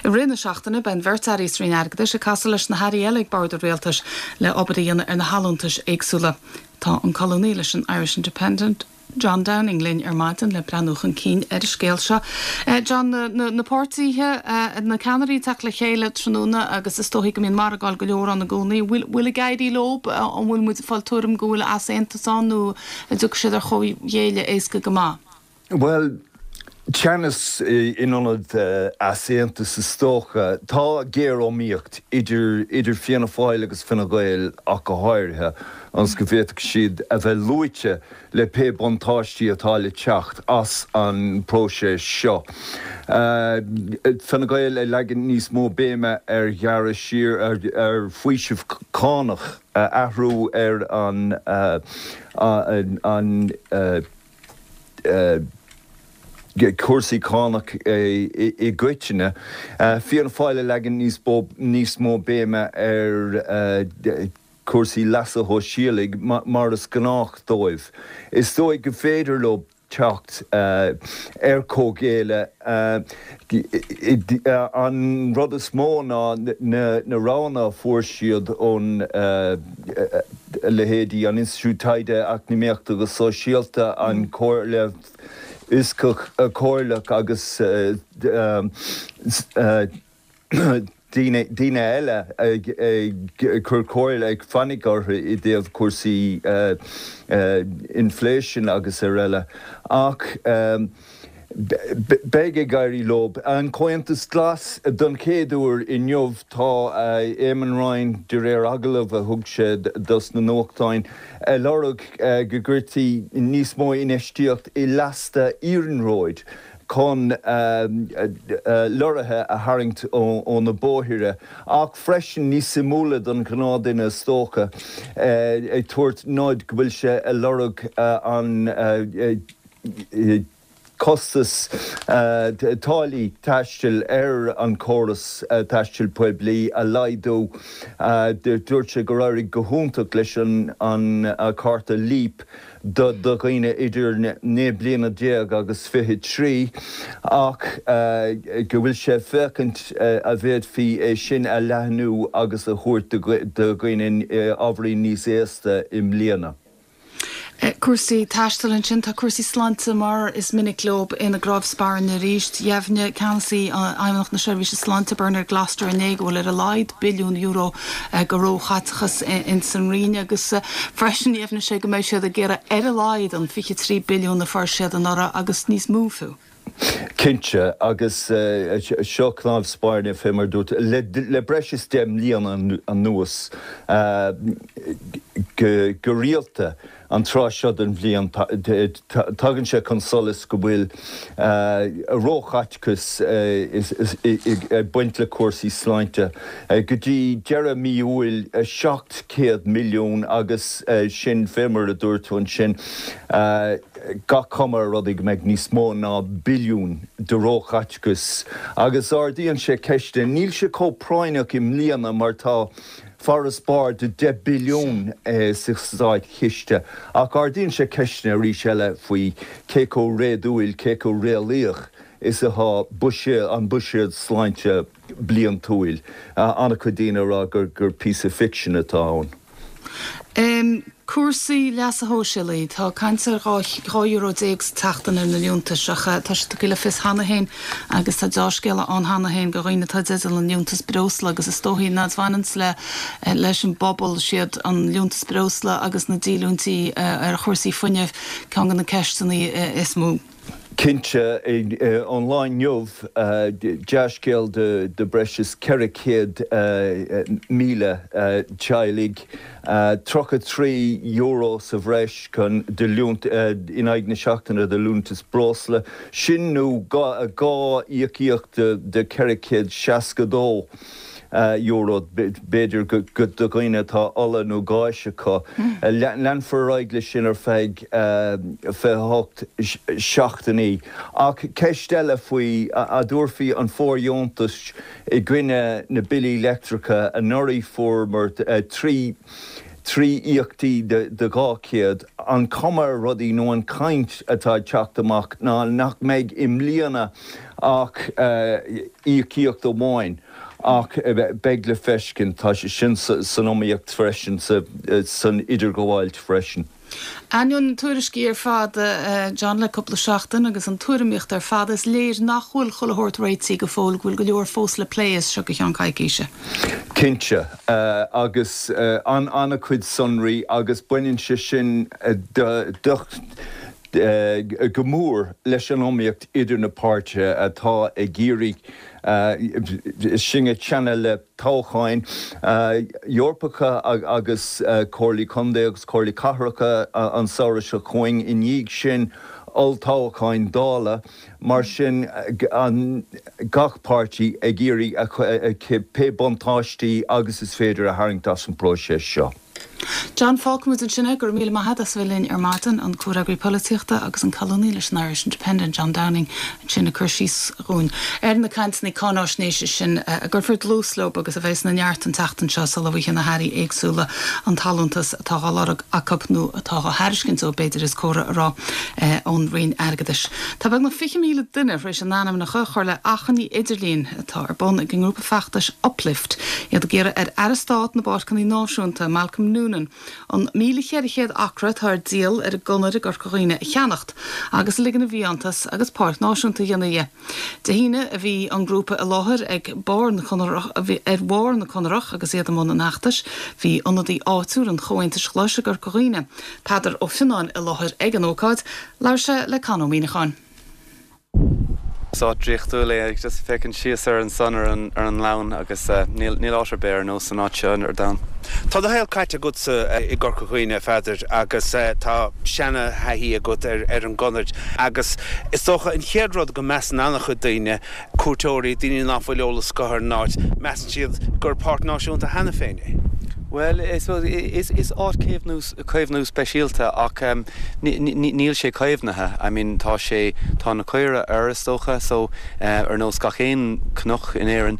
I rith na seachtaine, beidh an bheirt airí sa Roinn Airgeadais ag casadh leis na hairí eile ag bord an rialtais le obair a dhéanamh ar na hallúntais éagsúla. Tá an colúnaí leis an Irish Independent, John Downing linn ar maidin le breathnú chun cinn ar an scéal seo. John, na páirtithe, na ceannairí ag teacht le chéile tráthnóna agus is dóichí go mbíonn margáil go leor ann i gcónaí. Bhfuil ag éirí leo? An bhfuil muid ag fáil tuairim go bhfuil easaontas ann nó An dtiocfaidh siad ar chomhghéilleadh éasca go maith? Bhuel, teannas in ionad easaontas is dócha. Tá géariomaíocht idir idir Fianna Fáil agus Fine Gael ach go háirithe, ionas go bhféadfadh siad a bheith luaite le pé buntáistí atá le teacht as an bpróiseas seo. Fine Gael ag leagan níos mó béime ar ghearradh siar ar faoiseamh cánach. athrú ar an an cúrsaí cánach i gcoitinne. Fianna Fáil ag leagan níos mó béime ar. cúrsaí leasa shóisialaigh mar is gnách dóibh. Is dóigh go féidir leo teacht ar comhghéilleadh. An rud is mó ná na roghanna a fuair siad ón leithéidí an Institiúid Taighde Eacnamaíochta agus Sóisialta, an Chomhairle Fhioscach Chomhairleach agus daoine daoine eile ag cur comhairle, ag fainic orthu i dtaobh cúrsaí inflation agus ar eile. Ach beidh ag éirí leo. An Comhaontas Glas, don chéad uair inniu tá Eamon Ryan, de réir agallamh a thug sé dos na nuachtáin, ag lorg go gcuirtí níos mó infheistíocht i lasta iarnróid. chun lorraithe a tharraingt ó na bóithre, ach freisin, níos suimiúla don ghnáthdhuine is dócha, ag tabhairt nod go bhfuil sé ag lorg an costas táillí taistil ar an chóras taistil poiblí a laghdú. Dúirt sé gur éirigh go hiontach leis an cárta Leap do dhaoine idir 19 bliana agus 23 ach go bhfuil sé ag féachaint a bhféadfaí é sin a leathnú agus a thabhairt do dhaoine ábhairín níos aosta i mbliana. Cúrsaí taistil ansin. Tá cúrsaí sláinte mar is minic leo ina gcnámh spairne arís. Dheimhnigh ceannasaí Fheidhmeannacht na Seirbhíse Sláinte Bernard Gloster inné go bhfuil ar a laghad billiún euro de róchaiteachas ins an Roinn agus freisin dheimhnigh sé go mbeidh siad ag iarraidh ar a laghad an 23 billiún a fuair siad anuraidh agus níos mó fiú. Cinnte, agus seo cnámh spairne fé mar a dúirt tú, le breis is 10 mbliana anuas go rialta. An tráth seo den bhliain, tagann sé chun solais go bhfuil róchaiteachas ag baint le cúrsaí sláinte. Go dtí deireadh mí Iúil, 700 milliún agus sin, fé mar a dúirt tú ansin, gach cuma ar rudaí go mbeidh níos mó ná billiún de róchaiteachas. Agus ardaíonn sé ceisteanna. Níl sé chomh práinneach i mbliana mar tá. farasbarr de 10 billiún sa státchiste, ach ardaíonn sé ceisteanna arís eile faoi cé chomh réadúil, cé chomh réalaíoch is atá buiséad, an buiséad sláinte bliantúil. An-chuid daoine ag rá gur píosa ficsin atá ann. Cúrsaí leasa shóisialaigh, tá caint ar 12 euro sa tseachtain ar na liúntais ach tá sé tugtha le fios cheana féin agus tá deá-scéala ann cheana féin do dhaoine atá i dteideal an liúntas breosla agus is dóichí ná bhaineanns le leis an bpobal siad an liúntas breosla agus na díolúintí ar chúrsaí fuinnimh ceann de na ceisteanna is mó. Cinnte, ón lá inniu, dea-scéal do breis is 400,000 teaghlaigh, €33 sa bhreis chun do liúntas in aghaidh na seachtaine do liúntas breosla, sin nó 2 íocaíocht de €462. euro, b'fhéidir, do dhaoine atá ola nó gáis acu. Leanfar ar aghaidh leis sin ar feadh 28 seachtainí. Ach ceist eile faoi, a dtabharfaí an fóirdheontas i gcoinne na billí leictreacha anuraidh fuaireamar 3 íocaíochtaí de 200, an cuma ar rudaí nó an chaint atá ag teacht amach ná nach mbeidh i mbliana ach íocaíocht amháin, ach beidh le feiscint. Tá sé sin san iomaíocht freisin, san idirghabháilt freisin. Ainneoin na tuairiscí ar fad, John, le cúpla seachtain agus an tuairimíocht ar fad, is léir nach bhfuil chuile shórt réitithe go fóill, go bhfuil go leor fós le plé as seo go ceann coicíse. Cinnte, agus an-chuid sonraí agus baineann sé sin go mór leis an iomaíocht idir na páirtithe atá ag iarraidh sinn ag teannadh le toghcháin Eorpacha agus Comhairlí Contae agus Comhairlí Cathracha an samhradh seo chugainn. I ndiaidh sin, olltoghcháin Dála. Mar sin, gach páirtí ag iarraidh pé buntáistí agus is féidir a tharraingt as an bpróiseas seo. John, fágfaimid ansin é. Go raibh míle maith agat as a bheith linn ar maidin, an comhfhreagraí polaitíochta agus an colúnaí leis an Irish Independent, John Downing, ansin ag cur síos dhúinn ar na cainteanna cáináisnéise sin a gcuirfear dlús leo agus a bheas ina neart an tseachtain seo sula bhfaighidh na hairí éagsúla an t-allúntas atá á lorg acu nó atá á thairiscint dóibh, b'fhéidir is córa a rá, ón Roinn Airgeadais. Tá beagnach 20,000 duine tar éis a n-ainmneacha a chur le achainí idirlín atá ar bun ag an ngrúpa feachtais Uplift, iad ag iarraidh ar Aire Stáit na bPáirceanna Náisiúnta, Malcolm Noonan, an 1,400 acra atá ar díol ar an gConair i gCorca Dhuibhne a cheannacht agus a ligean i bhfiántas agus páirc náisiúnta a dhéanamh dhe. Dé hAoine a bhí an grúpa i láthair ag barr na Conarach ar bharr na Conarach agus iad i mbun an fheachtais. Bhí ionadaí áitiúil an Chomhaontais Ghlais i gCorca Dhuibhne, Peadar Ó Fionnáin i láthair ag an ócáid. Labhair sé le Con Ó Muíneacháin. Is áit draíochtúil é, just féachaint síos ar ansan ar an ar an ngleann agus níl níl áit ar bith ar nós an áit seo ar domhan. Tá do shaol caite agatsa i gCorca Dhuibhne, a Pheadair, agus tá seana-thaithí agat ar ar an gConair agus is dócha an chéad rud go measann an-chuid daoine, cuairteoirí, daoine ná fuil eolas acu ar an áit, measann siad gur páirc náisiúnta cheana féin é. Bhuel, is is áit caomhnú caomhnú speisialta ach níl sé caomhnaithe. I mean tá sé, tá na caora air is dócha so ar nós gach aon cnoc in Éirinn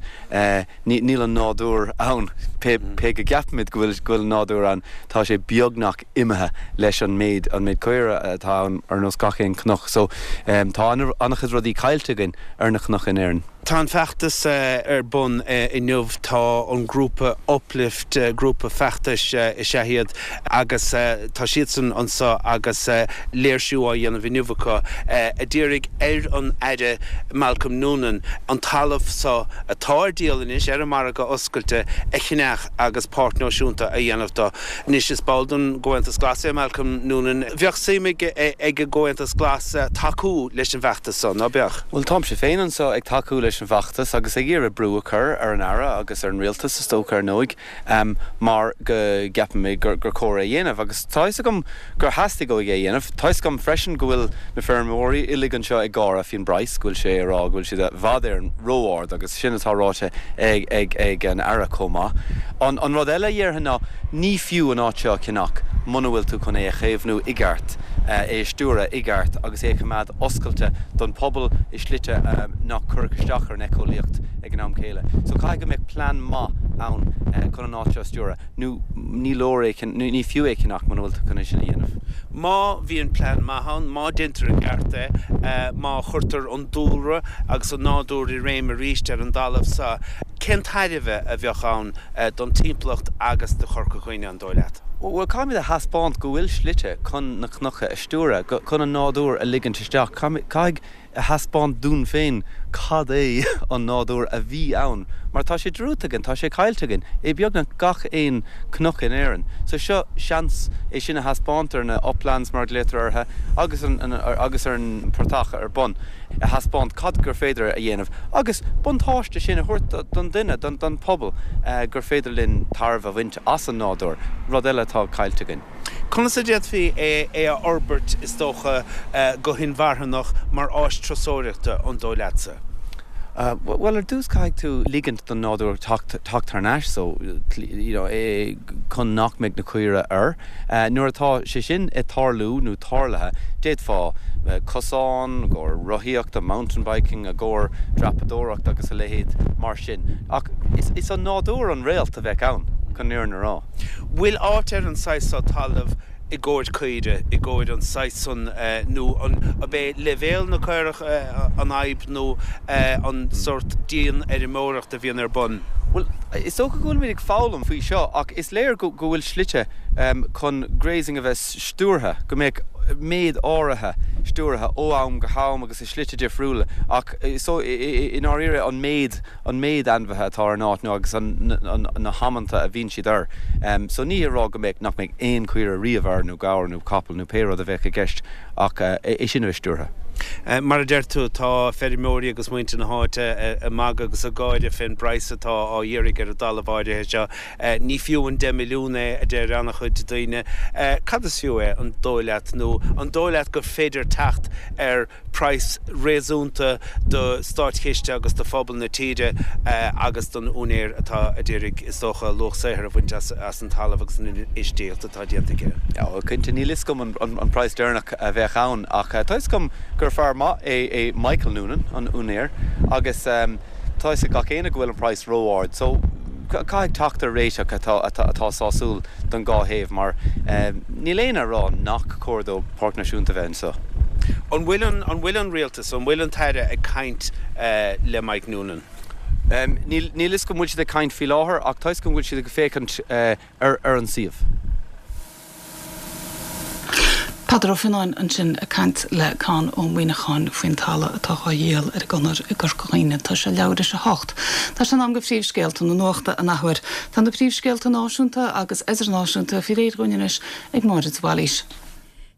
níl an nádúr ann. Pé pé go gceapaimid go bhfuil go bhfuil an nádúr ann tá sé beagnach imithe leis an méid an méid caora atá ann ar nós gach aon cnoc. So tá an-chuid rudaí caillte againn ar na cnoic in Éirinn. Tá an feachtas ar bun inniu. Tá an grúpa Uplift, grúpa feachtais is ea iad, agus tá siadsan anseo agus léirsiú á dhéanamh inniu acu a d'iarraidh ar an Aire Malcolm Noonan an talamh seo atá ar díol anois ar an margadh oscailte a cheannach agus páirc náisiúnta a dhéanamh de. Anois is ball den gComhaontas Glas é Malcolm Noonan. Bheadh suim ag an gComhaontas Glas tacú leis an bhfeachtas so, ná beadh? Bhuel, táimse féin anseo ag tacú leis an bhfeachtas agus ag iarraidh brú a chur ar an Aire agus ar an Rialtas, is dócha, ar ndóigh, mar go gceapaim gur cóir é a dhéanamh. Agus tá fhios agam gur theastaigh uaidh é a dhéanamh. Tá fhios agam freisin go bhfuil na feirmeoirí uilig anseo ag gáire faoin bpraghas, go bhfuil sé ag rá go bhfuil siad i bhfad Éireann ró-ard agus sin atá ráite ag an Aire chomh maith. An rud eile a dhéarfainn ná ní fiú an áit seo a cheannach muna bhfuil tú chun é a chaomhnú i gceart, é a stiúradh i gceart agus é a choimeád oscailte don phobal i slite nach gcuirfeadh isteach ar an éiceolaíocht ag an am céile. So caithfidh go mbeadh plean maith ann chun an áit seo a stiúradh nó ní leor é, ní fiú é a cheannach muna bhfuil tú chun é sin a dhéanamh. Má bhíonn plean maith ann, má deintear i gceart é, má chuirtear an dúlra agus an nádúr i réim arís ar an dtalamh so, cén tairbhe a bheadh ann don timpeallacht agus do Chorca Dhuibhne, an dóigh leat? Bhuel, caithfimid a thaispeáint go bhfuil slite chun na cnoca a stiúradh, chun an nádúr a ligint isteach. Caithfidh a thaispeáint dúinn féin cad é an nádúr a bhí ann, mar tá sé dearúdta againn, tá sé caillte againn i beagnach gach aon cnoc in Éirinn. So seo seans é sin a thaispeáint ar na uplands mar a ghlaotar orthu agus agus ar an portach ar bun, a thaispeáint cad gur féidir a dhéanamh agus buntáiste sin a thabhairt don duine, don pobal, gur féidir linn tairbhe a bhaint as an nádúr, rud eile atá caillte againn. Conas a d'fhéadfaí é a fhorbairt, is dócha, go hinmharthanach mar áis turasóireachta, an dóigh leatsa? Bhuel, ar dtús caithfidh tú ligint don nádúr teacht thar n-ais so, you know, chun nach mbeidh na caoire air. Nuair atá sé sin ag tarlú nó tarlaithe, d'fhéadfá cosán i gcomhair rothaíochta, mountain biking, i gcomhair dreapadóireacht agus a leithéid mar sin. Ach is an nádúr an réalt a bheadh ann, chun an fhírinne a rá. Bhfuil áit ar an saghas so talaimh i gcomhair caoire, i gcomhair an saghas san, nó an ab é leibhéal na caorach an fhadhb nó an sórt dianfheirmeoireacht a bhíonn ar bun? Bhuel, is dócha go bhfuilimid ag foghlaim faoi seo ach is léir go bhfuil slite chun grazing a bheith stiúrtha, go mbeadh méid áirithe stiúrtha ó am go ham agus i slite difriúla ach so i ndáiríre an méid an méid ainmhithe atá ar an áit nó agus na hamanta a bhíonn siad air. So ní hé a rá go mbeadh, nach mbeadh aon chaoire riamh air nó gabhar nó capall nó pé rud a bheadh i gceist ach é sin a bheith stiúrtha. Mar a deir tú, tá feirmeoirí agus muintir na háite ag magadh agus ag gáire fén bpraghas atá á iarraidh ar an dtalamh áirithe seo. Ní fiú an 10 milliún é, a deir an-chuid daoine. Cad is fiú é, an dóigh leat, nó an dóigh leat gur féidir teacht ar praghas réasúnta do státchiste agus do phobal na tíre agus don úinéir atá a d'iarraidh, is dócha, luach saothair a bhaint as an talamh agus an infheistíocht atá déanta aige? Bhuel, cinnte, níl fhios agam an praghas deireanach a bheadh ann ach tá fhios agam gur fear maith é Michael Noonan, an úinéir, agus tá fhios ag gach éinne go bhfuil an praghas ró-ard so caithfidh teacht ar réiteach atá sásúil don dhá thaobh mar níl éinne ag rá nach cóir dó Páirc Náisiúnta a bheith anseo. An bhfuil an, an bhfuil an Rialtas, an bhfuil an tAire ag caint le Mike Noonan? Níl, níl fhios agam an bhfuil siad ag caint faoi láthair ach tá fhios agam go bhfuil siad ag féachaint ar, ar an suíomh. Peadar Ó Fionnáin ansin ag caint le Conn Ó Muíneacháin faoin talamh atá dhá dhíol ar an gConair i gCorca Dhuibhne. Tá sé leathuair théis a hocht. Tá sé in am do phríomhscéalta na nuachta an athuair. Tá na príomhscéalta náisiúnta agus idirnáisiúnta faoi réir dhúinn anois ag Máire de Bhailís.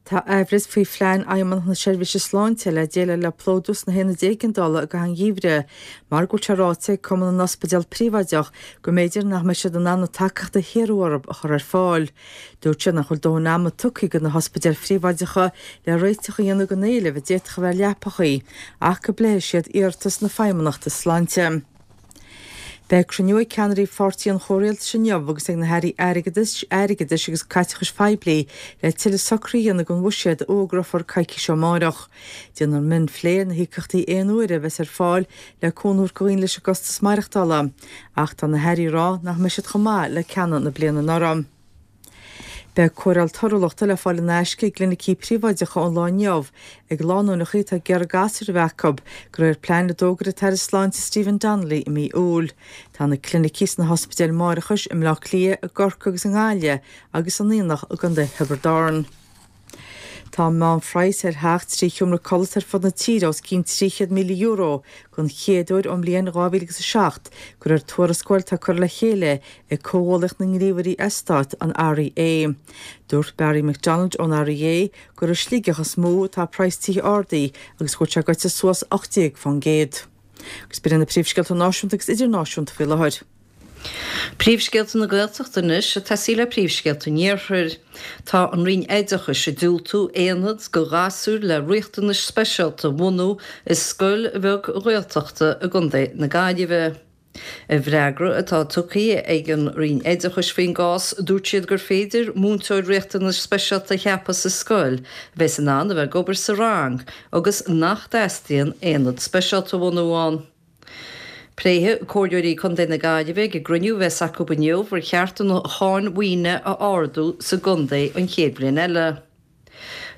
Tá aimhleas faoi phlean Fheidhmeannacht na Seirbhíse Sláinte le déileáil le plódú sna haonaid éigeandála i gcaitheamh an gheimhridh mar go bhfuil sé ráite ag Cumann na nOspidéal Príobháideach go mb'fhéidir nach mbeidh siad in ann an tacaíocht a hiarradh orthu a chur ar fáil. Dúirt sé nach bhfuil dóthain ama tugtha do na hospidéil phríobháideacha le réiteach a dhéanamh don éileamh a d'fhéadfadh a bheith ar leapachaí ach go bpléifidh siad iarratas na Feidhmeannachta Sláinte. Beidh cruinniú ag ceannairí pháirtí an chomhrialtais inniu agus ag na hairí airgeadais, airgeadais agus caiteachais phoiblí le tuilleadh socruithe a dhéanamh don bhuiséad a fhógrófar coicís ó amárach. Déanfar mionphlé ar na híocaíochtaí aon uaire a bheas ar fáil le cúnamh a thabhairt do dhaoine leis an gcostas maireachtála. Ach tá na hairí ag rá nach mbeidh siad chomh maith le ceanna na bliana anuraidh. Beidh cóireáil torthúlachta le fáil in aisce i gclinicí príobháideacha ón lá inniu ag lánúineacha atá ag iarraidh gasúir a bheith acu, de réir plean a d'fhógair an tAire Sláinte Stephen Donnelly i mí Iúil. Tá na clinicí sna hospidéil máithreachais i mBleá Cliath, i gCorcaigh agus i nGaillimh agus in Aonach i gContae Thiobraid Árann. Tá an meánphraghas ar theach 3 sheomra codlata ar fud na tíre os cionn €300,000 den chéad uair ón mbliain 2007, de réir tuarascáil atá curtha le chéile ag Comhghuallaíocht na nGníomhairí Eastát, an REA. Dúirt Barry McDonald ón REA gur i Sligeach is mó atá praghas tithe ardaithe agus go bhfuil sé gaibhte suas 18%. Agus b'in iad na príomhscéalta náisiúnta agus idirnáisiúnta faoi láthair. Príomhscéalta na Gaeltachta anois ag tosaí le príomhscéalta an Iarthair. Tá an Roinn Oideachais ag diúltú aonad do ghasúir le riachtanais speisialta a bhunú i scoil bheag Ghaeltachta i gContae na Gaillimhe. I bhfreagra atá tugtha ag an Roinn Oideachais faoin gcás, dúirt siad gur féidir múinteoir riachtanais speisialta a cheapadh sa scoil a bheas in ann a bheith ag obair sa rang agus nach dteastaíonn aonad speisialta a bhunú ann. Pléifidh Comhairleoirí Contae na Gaillimhe ag an gcruinniú a bheas acu inniu ar cheart an cháin mhaoine a ardú sa gcontae an chéad bhliain eile.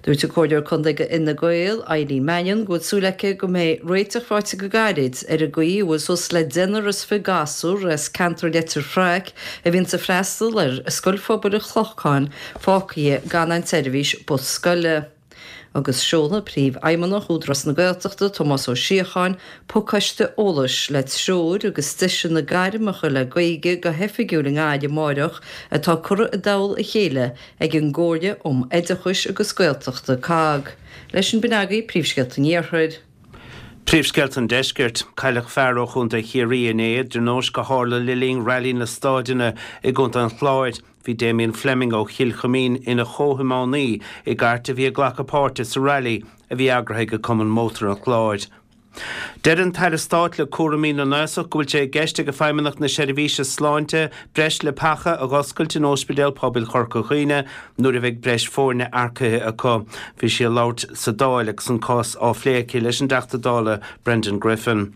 Dúirt an Comhairleoir Contae do Fhine Gael, Eileen Mannion, go bhfuil súil aici go mbeidh réiteach faighte go gairid ar an gcaoi a bhfuil suas le deichniúr is 20 gasúr as ceantar Leitir Fraic a bhíonns ag freastal ar Scoil Phobail an Chlocháin fágtha gan aon tseirbhís bus scoile. Agus seolfaidh Príomhfheidhmeannach Údarás na Gaeltachta, Tomás Ó Síocháin, pacáiste eolais le treoir agus deiseanna gairmeacha le Gaeilge go hoifigiúil i nGaillimh amáireach atá curtha i dtoll a chéile ag an gComhairle um Oideachais agus Gaeltachta, COGG. Leis sin b'in agaibh Príomhscéalta an Iarthair. Príomhscéalta an Deiscirt. Cailleadh fear ó Chontae Chiarraí inné i dtionóisc a tharla le linn Railí na Staideanna i gContae an Chláir. Bhí Damien Fleming ó Chill Chuimín ina chomhthiománaí i gcairt a bhí ag glacadh páirte sa railí a bhí eagraithe ag Cumann Mótar an Chláir. Deir an tAire Stáit le cúraimí na nAosach go bhfuil sé i gceist ag Feidhmeannacht na Seirbhíse Sláinte breis leapacha a dh'oscailt in Óispidéal Pobail Chorca Dhuibhne nuair a bheidh breis foirne earcaithe acu. Bhí sí ag labhairt sa Dáil agus an cás á phlé aici leis an dTeachta Dála Brendan Griffin.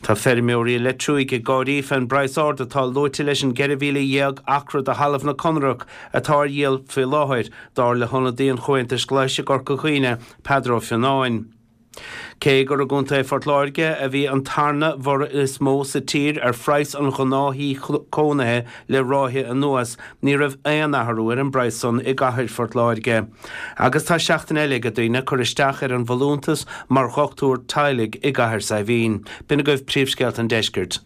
Tá feirmeoirí i Leitriúigh ag gáirí fén bpraghas ard atá luaite leis an 14,000 acra de thalamh na Conrach atá ar dhíol faoi láthair, dar le hionadaí an Chomhaontais Ghlais i gCorca Dhuibhne, Peadar Ó Fionnáin. Cé gur i gContae Phort Láirge a bhí an tarna borradh is mó sa tír ar phraghas an ghnáth-thí cónaithe le ráithe anuas, ní raibh aon athrú ar an bpraghas san i gcathair Phort Láirge. Agus tá seachtain eile ag daoine cur isteach ar an bhfolúntas mar dhochtúir teaghlaigh i gCathair Saidhbhín. B'in agaibh príomhscéalta an deiscirt.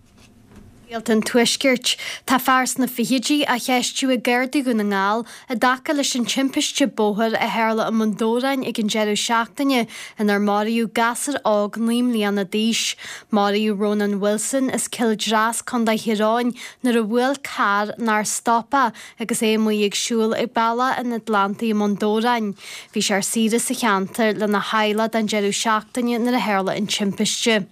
Scéalta an Tuaiscirt. Tá fear sna fichidí á cheistiú ag Gardaí Dhún na nGall i dtaca leis an timpiste bóthair a tharla i mBun Dobhráin ag an deireadh seachtaine inar maraíodh gasúr óg 9 mbliana d'aois. Maraíodh Rónán Wilson as Cill Dreas, Co. Thír Eoghain nuair a bhuail carr nár stop é agus é amuigh ag siúl ag Bealach an Atlantaigh i mBun Dobhráin. Bhí sé ar saoire sa cheantar lena theaghlach don deireadh seachtaine nuair a tharla an timpiste.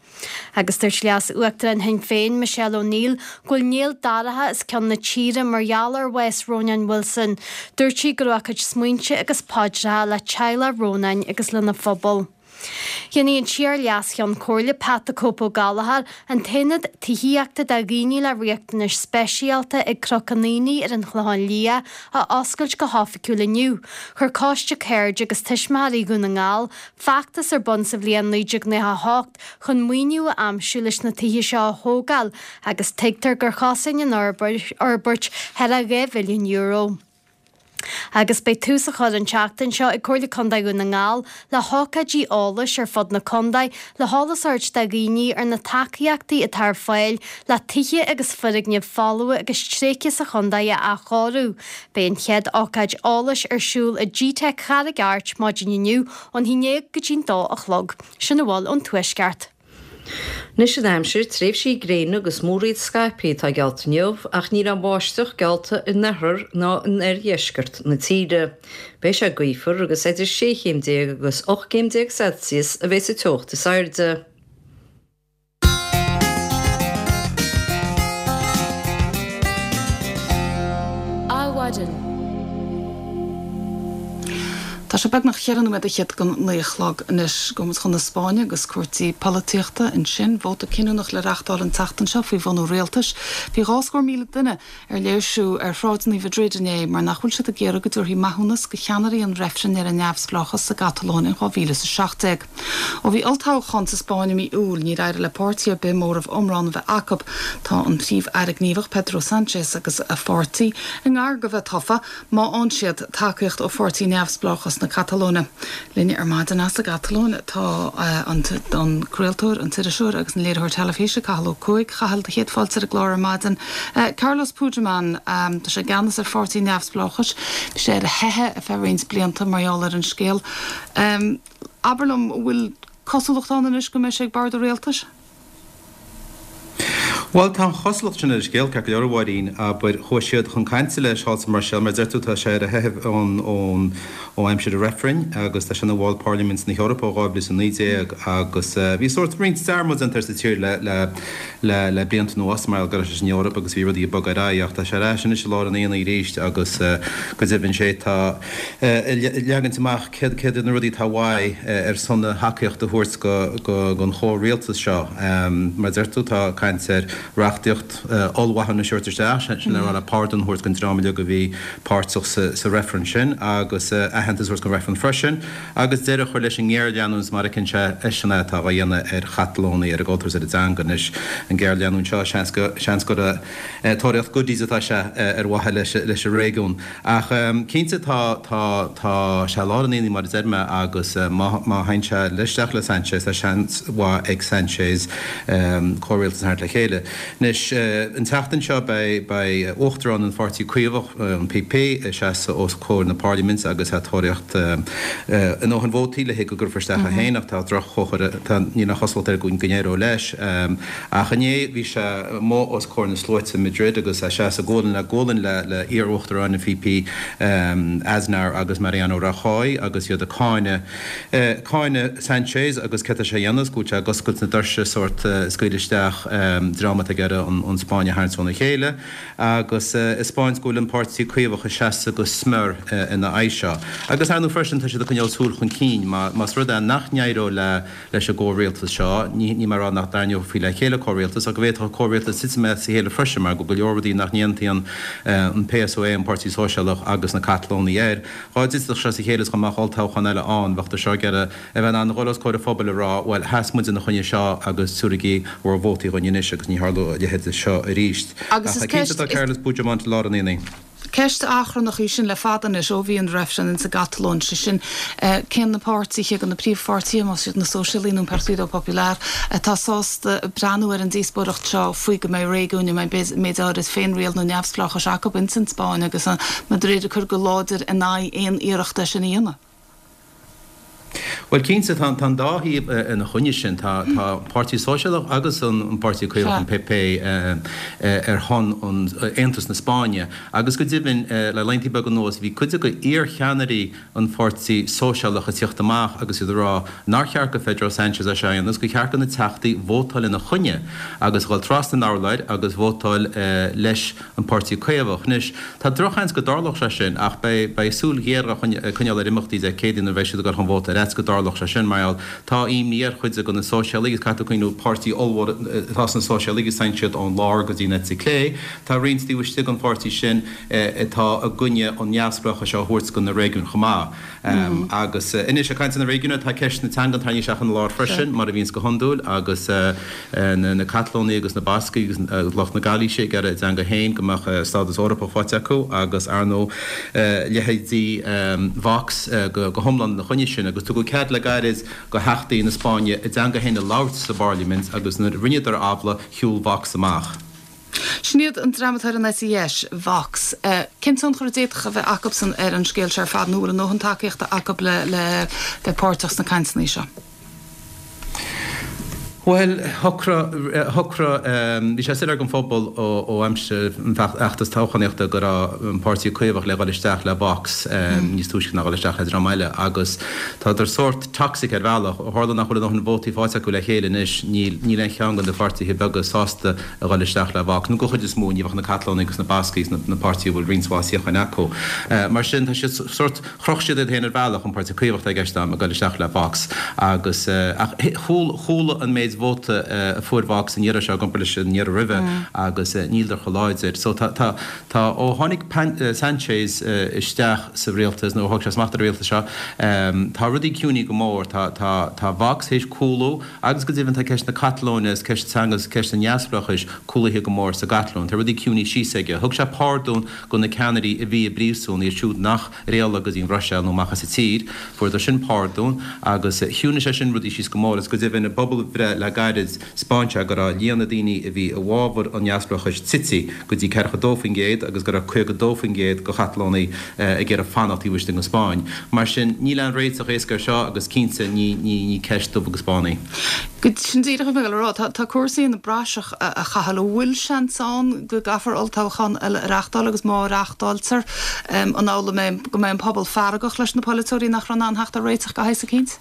Agus dúirt Leas-Uachtarán Shinn Féin, Michelle O'Neill, go bhfuil néal dorcha os cionn na tíre mar gheall ar bhás Rónáin Wilson. Dúirt sí go raibh a cuid smaointe agus paidreacha le teaghlach Rónáin agus lena phobal. Dhéanfaidh an t-iar-Leas-Cheann Comhairle Pat the Cope Ó Gallchóir an t-aonad tithíochta do dhaoine le riachtanais speisialta ag Cnoc an Aonaigh ar an Chlochán Liath a oscailt go hoifigiúil inniu. Chuir Coiste Cairde agus Tuismitheoirí Dhún na nGall feachtas ar bun sa bhliain 1998 chun maoiniú a aimsiú leis na tithe seo a thógáil agus tuigtear gur chosain an fhorbairt thar a €2 mhilliún. Agus beidh tús á chur an tseachtain seo ag Comhairle Contae Dhún na nGall le hócáidí eolais ar fud na contae le heolas a thabhairt do dhaoine ar na tacaíochtaí atá ar fáil le tithe agus foirgnimh folmha agus tréigthe sa chontae a athchóiriú. Beidh an chéad ócáid eolais ar siúl i gteic Charraig Airt maidin inniu ón haon déag go dtí'n dó a chlog. Sin a bhfuil ón Tuaisceart. Anois an aimsir, tréimhsí gréine agus múraíl scaipthe atá geallta inniu ach níl aon bháisteach geallta in oirthear ná in oirdheisceart na tíre. Beidh sé gaofar agus idir 16 chéim agus 18 gcéim Celsius a bheidh sa teocht is airde. Adhmhaidin. Tá sé beagnach cheithre nóiméad fhichead don naoi a chlog anois. Gabhfaidh muid chun na Spáinne agus cúrsaí polaitíochta ansin. Vóta cinniúnach le reachtáil an tseachtain seo faoi bhunú rialtais. Bhí 200,000 duine ar léirsiú ar shráideanna Mhadrid inné mar nach bhfuil siad ag iarraidh go dtabharfaí maithiúnas do cheannairí an reifrinn ar an neamhspleáchas sa gCatalóin in 2017. Ó bhí olltoghchán sa Spáinn i mí Iúil, níor éirigh le páirtí ar bith móramh iomlán a bheith acu. Tá an Príomh-Aire gníomhach Pedro Sánchez agus a pháirtí i ngar do bheith tofa má fhaigheann siad tacaíocht ó Pháirtí Neamhspleáchas na Catalóine. Linn ar maidin as an gCatalóin tá an craoltóir, an t-iriseoir agus an léiritheoir teilifíse Cathal Ó Cuaig. A Chathail, do chéad fáilte ar an gclár ar maidin. Carlos Puigdemont, tá sé i gceannas ar Pháirtí Neamhspleáchais. Bhí sé ar a theitheadh ar feadh roinnt blianta mar gheall ar an scéal. Abair liom, an bhfuil cosúlacht ann anois go mbeidh sé ag bord an rialtais? Bhuel, tá an chosúlacht sin ar an scéal, ceart go leor, a Mháirín. Abair, chuaigh siad chun cainte leis thall sa mBruiséil, mar a deir tú, tá sé ar a theitheadh ón, ón, ó aimsir an reifrinn agus tá sé ina bhall Parlaimint na hEorpa ó 2019 agus bhí sórt roinnt dearmad déanta air sa tír le, le, le, le blianta anuas mar go raibh sé san Eoraip agus bhí rudaí ag bogadh ar aghaidh ach tá sé ar ais anois i lár an aonaigh arís agus go deimhin sé tá ag leagaint amach céard iad na rudaí atá uaidh ar son a thacaíocht a thabhairt don chomhrialtas seo. Mar a deir tú, tá caint ar reachtaíocht ollmhaithiúnais a thabhairt isteach, sin le rá le pardún a thabhairt don dream uilig a bhí páirteach sa reifreann sin agus aitheantas a thabhairt don reifreann freisin agus deireadh a chur leis an ngéarleanúint mar a fheiceann sé eisean é atá á dhéanamh ar Chatalónaigh, ar a gcultúr is ar a dteanga. Anois, an ghéarleanúint seo, seans gur tóraíocht goodies atá sé ar mhaithe leis an réigiún. Ach cinnte tá, tá, tá sé i lár an aonaigh mar a deir mé agus má, má théann sé isteach le Sanchez tá seans mhaith ag Sanchez comhrialtas a tharraingt le chéile. Anois an tseachtain seo beidh, beidh Uachtarán an Pháirtí Caomhach, an PP, ag seasamh os comhair na Parlaiminte agus é ag tóraíocht a ndóthain vótaí le go gcuirfear isteach é féin ach tá droch-chomhartha, tá, níl aon chosúlacht air go n-éireoidh leis. Ach inné bhí sé amuigh os comhair na sluaite i Madrid agus é ag seasamh gualainn le gualainn le iar-uachtaráin an PP, Aznar agus Mariano Rajoy agus iad ag cáineadh cáineadh Sanchez agus céard tá sé a dhéanamh is go bhfuil sé ag oscailt na doirse sórt scaoileadh isteach dream atá ag iarraidh an Spáinn a tharraingt óna chéile agus ag 'spáint go bhfuil an Páirtí Caomhach ag seasamh go smior ina aghaidh seo. Agus ar ndóigh freisin tá siad ag coinneáil súil chun cinn más rud é nach n-éireodh le leis an gcomhrialtas seo. Ní mé ag rá nach dtarraingeofaí le chéile comhrialtas, ach go bhféadfadh an comhrialtas titim as a chéile freisin mar go bhfuil go leor rudaí nach n-aontaíonn an PSOE, an Páirtí Sóisialach, agus na Catalónaigh air. Dá dtitfeadh sé as a chéile is dá mbeadh olltoghchán eile ann, bheadh seo ag iarraidh a bheith in ann a dhul os comhair an phobail a rá, bhuel, sheas muid ina choinne seo agus tabhraigí bhur vótaí dhuinn anois agus ní tharlóidh a leithéid seo arís. Agus Ach is cinnte ceist, tá is. Carles Puigdemont i lár an aonaigh. Ceist achrannach í sin le fada anois, ó bhí an reifreann insa gCatalóin, sé sin, cé na páirtithe de na príomhpháirtithe, más iad na Sóisialaigh nó an Partido Popular, atá sásta breathnú ar an díospóireacht seo faoi go mbeidh réigiúin a mbeidh méid áirid féinriail nó neamhspleáchais acu ins an Spáinn agus an Madrid ag cur go láidir in aghaidh aon iarracht é sin a dhéanamh. Bhuel, cinnte, tá an dá thaobh ina choinne sin. Tá an Páirtí Sóisialach agus an Páirtí Caomhach, an PP, ar shon aontas na Spáinne. Agus go deimhin, le laethanta beaga anuas, bhí cuid de iar-cheannairí an Pháirtí Sóisialach ag tíocht amach agus iad ag rá nár cheart do Phedro Sánchez é seo a dhéanamh agus gur cheart do na teachtaí vótáil ina choinne agus dhul trasna an urláir agus vótáil leis an Páirtí Caomhach. Anois, tá drochsheans go dtarlódh sé sin ach beidh beidh súil ghéar á coinneáil ar imeachtaí Dé Céadaoin nuair a bheidh siad ag dul chun vóta ar fhaitíos go dtarlódh sé sin mar gheall tá imní ar chuid de na Sóisialaigh agus caithfidh tú cuimhniú páirtí ollmhór atá sna Sóisialaigh agus téann siad ón lár go dtí an eite clé. Tá roinnt taobh istigh den pháirtí sin atá i gcoinne an neamhspleáchais seo a thabhairt do na réigiúin chomh maith. Agus anois, ag caint ar na réigiúin, tá ceist na teangan tarraingthe isteach ina lár freisin, mar a bhíonns go hiondúil, agus na Catalónaigh agus na Bascaigh agus lucht na Gailíse ag iarraidh a dteanga féin, go mbeadh stádas Eorpach faighte acu, agus ar ndóigh, leithéidí Vox go hiomlán ina choinne sin. Agus tugadh cead le gairid do theachtaí na Spáinne a dteanga féin a labhairt sa bParlaimint, agus nuair a rinneadar amhlaidh, shiúil Vox amach. Sin iad an dream atá ar an eite dheis, Vox. Cén tionchar a d'fhéadfadh a bheith acubsan ar an scéal seo ar fad nó an bhfuil a ndóthain tacaíochta acu le le bheith páirteach sna cainteanna seo? Bhuel, shocraigh, shocraigh, bhí sé soiléir don phobal ó aimsir an fheachtas toghchánaíochta go raibh an Páirtí Caomhach le dhul isteach le Vox níos túisce ná dhul isteach le dream eile agus tádar sórt toxic ar bhealach. Ó tharla nach bhfuil a ndóthain vótaí faighte acu le chéile anois, níl, níl aon cheann de na pháirtithe beaga sásta a dhul isteach le Vox, nó den chuid is mó, ní bheadh na Catalónaigh agus na Bascaigh agus na páirtithe a bhfuil roinnt mhaith suíocháin acu. Mar sin, tá siad sórt, chroch siad iad féin ar bhealach, an Páirtí Caomhach atá i gceist agam, ag dul isteach le Vox agus, ach chuala an méid vóta a fuair Vox an iarraidh seo i gcomparáid leis an iarraidh roimhe agus níleadar chomh láidir. So tá, tá, tá, ó tháinig Sanchez isteach sa rialtas, nó ó thóg sé smacht ar an rialtas seo, tá rudaí ciúnaithe go mór, tá, tá, tá Vox théis cúlú, Agus go deimhin tá ceist na Catalóine agus ceist teanga agus ceist an neamhspleáchais cúlaithe go mór sa gCatalóin. Tá rudaí ciúnaithe síos aige. Thug sé pardún go na ceannairí a bhí i bpríosún, iad siúd nach ar éalaigh go dtí an Bhruiséil nó amach as an tír. Fuaireadar sin pardún agus chiúnaigh sé sin rudaí síos go mór. Agus go deimhin i bpobalbhreith le gairid 'spáin sé go raibh líon na daoine a bhí i bhfabhar an neamhspleáchais tite go dtí 42% agus go raibh 52% de Chatalónaigh ag iarraidh fanacht taobh istigh den Spáinn. Mar sin, níl aon réiteach éasca air seo agus cinnte ní ní ceist dubh agus bán í. Sin díreach a bhí mé ag dul a rá. Tá cúrsaí ina bpraiseach, a Chathail. An bhfuil seans ann go gcaithfear olltoghchán eile a reachtáil agus má reachtáiltear, an amhlaidh go mbeidh an pobal feargach leis na polaiteoirí nach raibh in ann theacht ar réiteach de shaghas eicínt?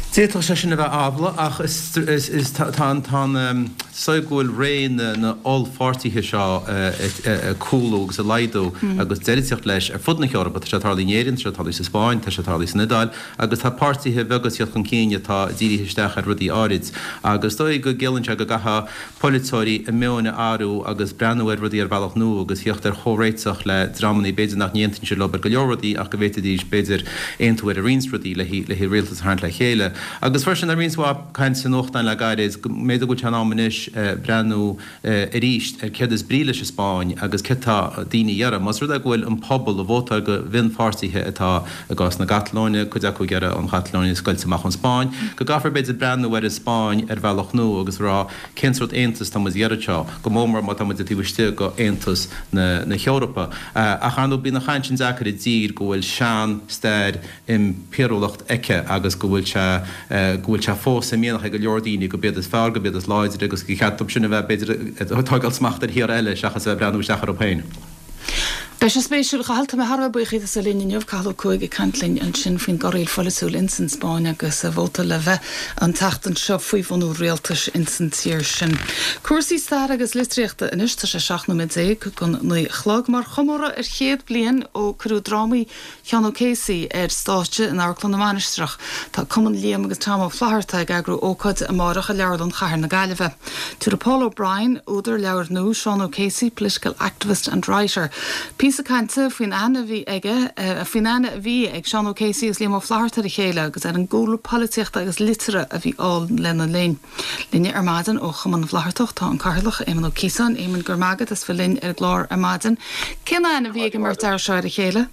D'fhéadfadh sé sin a bheith amhlaidh ach is tá an tá an dóigh go bhfuil ré na na ollpháirtithe seo ag cúlú agus ag laghdú agus deireadh ag teacht leis ar fud na hEorpa. Tá sé ag tarlú in Éirinn, tá sé ag tarlú sa Spáinn, tá sé ag tarlú san Iodáil agus tá páirtithe beaga ag tíocht chun cinn atá dírithe isteach ar rudaí áirid agus is dóigh go gciallaíonn sé go gcaithfidh polaiteoirí a meoin a athrú agus breathnú ar rudaí ar bhealach nua agus theacht ar chomhréiteach le dreamanna b'fhéidir nach n-aontaíonn siad leo ar go leor rudaí ach go bhféadfaidís b'fhéidir aontú ar roinnt rudaí le le rialtas a tharraingt le chéile. Agus freisin tá roinnt mhaith caint sna nuachtáin le gairid go mb'fhéidir go bhfuil sé in am anois breathnú arís ar céard is brí leis an Spáinn agus céard tá daoine a iarraidh. Más rud é go bhfuil an pobal ag vótáil do mhionpháirtithe atá i gcás na Catalóine, cuid acu ag iarraidh an Chatalóin a scoilt amach ón Spáinn, go gcaithfear b'fhéidir breathnú ar an Spáinn ar bhealach nua agus rá cén sórt aontas tá muid ag iarraidh seo, go mór mór má tá muid taobh istigh de Aontas na hEorpa. Ach ar ndóigh bíonn an chaint sin deacair i dtír go bhfuil sean-stair impiriúlacht aici agus go bhfuil sé go bhfuil sé fós i mianach ag go leor daoine gurb iad is fearr, gurb iad is láidre agus gur cheart dóibh sin a bheith b'fhéidir ag tógáil smacht ar thíortha eile seachas a bheith ag breathnú isteach orthu féin. Beidh sé spéisiúil. A Chathail, tá mé thar a bheith buíoch díot as a bheith linn inniu. Cathal Ó Cuaig ag caint linn ansin faoin gcorraíl pholaitiúil ins an Spáinn agus vóta le bheith an tseachtain seo faoi bhunú rialtais ins an tír sin. Cúrsaí staire agus litríochta anois. Tá sé 17 nóiméad don 9 a chlog. Mar chomóradh ar chéad bliain ó cuireadh drámaí Sheán O'Casey ar stáitse in Amharclann na Mainistreach, tá Cumann Liam agus Tom Ó Flatharta ag eagrú ócáide amárach i Leabharlann Chathair na Gaillimhe. Tabharfaidh Paul O'Brien, údar leabhair nua, Sean O'Casey, Political Activist and Writer, píosa. Píosa cainte faoin aithne a bhí aige, faoin aithne a bhí ag Seán O'Casey agus Liam Ó Flaithearta ar a chéile agus ar an gcúlra polaitíochta agus liteartha a bhí ann lena linn. Linne ar maidin ó Chumann na bhFlaitheartach tá an Cathaoirleach, Éamon Ó Ciosáin. Éamon, go raibh maith agat as bheith linn ar an gclár ar maidin. Cén aithne a bhí ag an mbeirt fhear seo ar a chéile?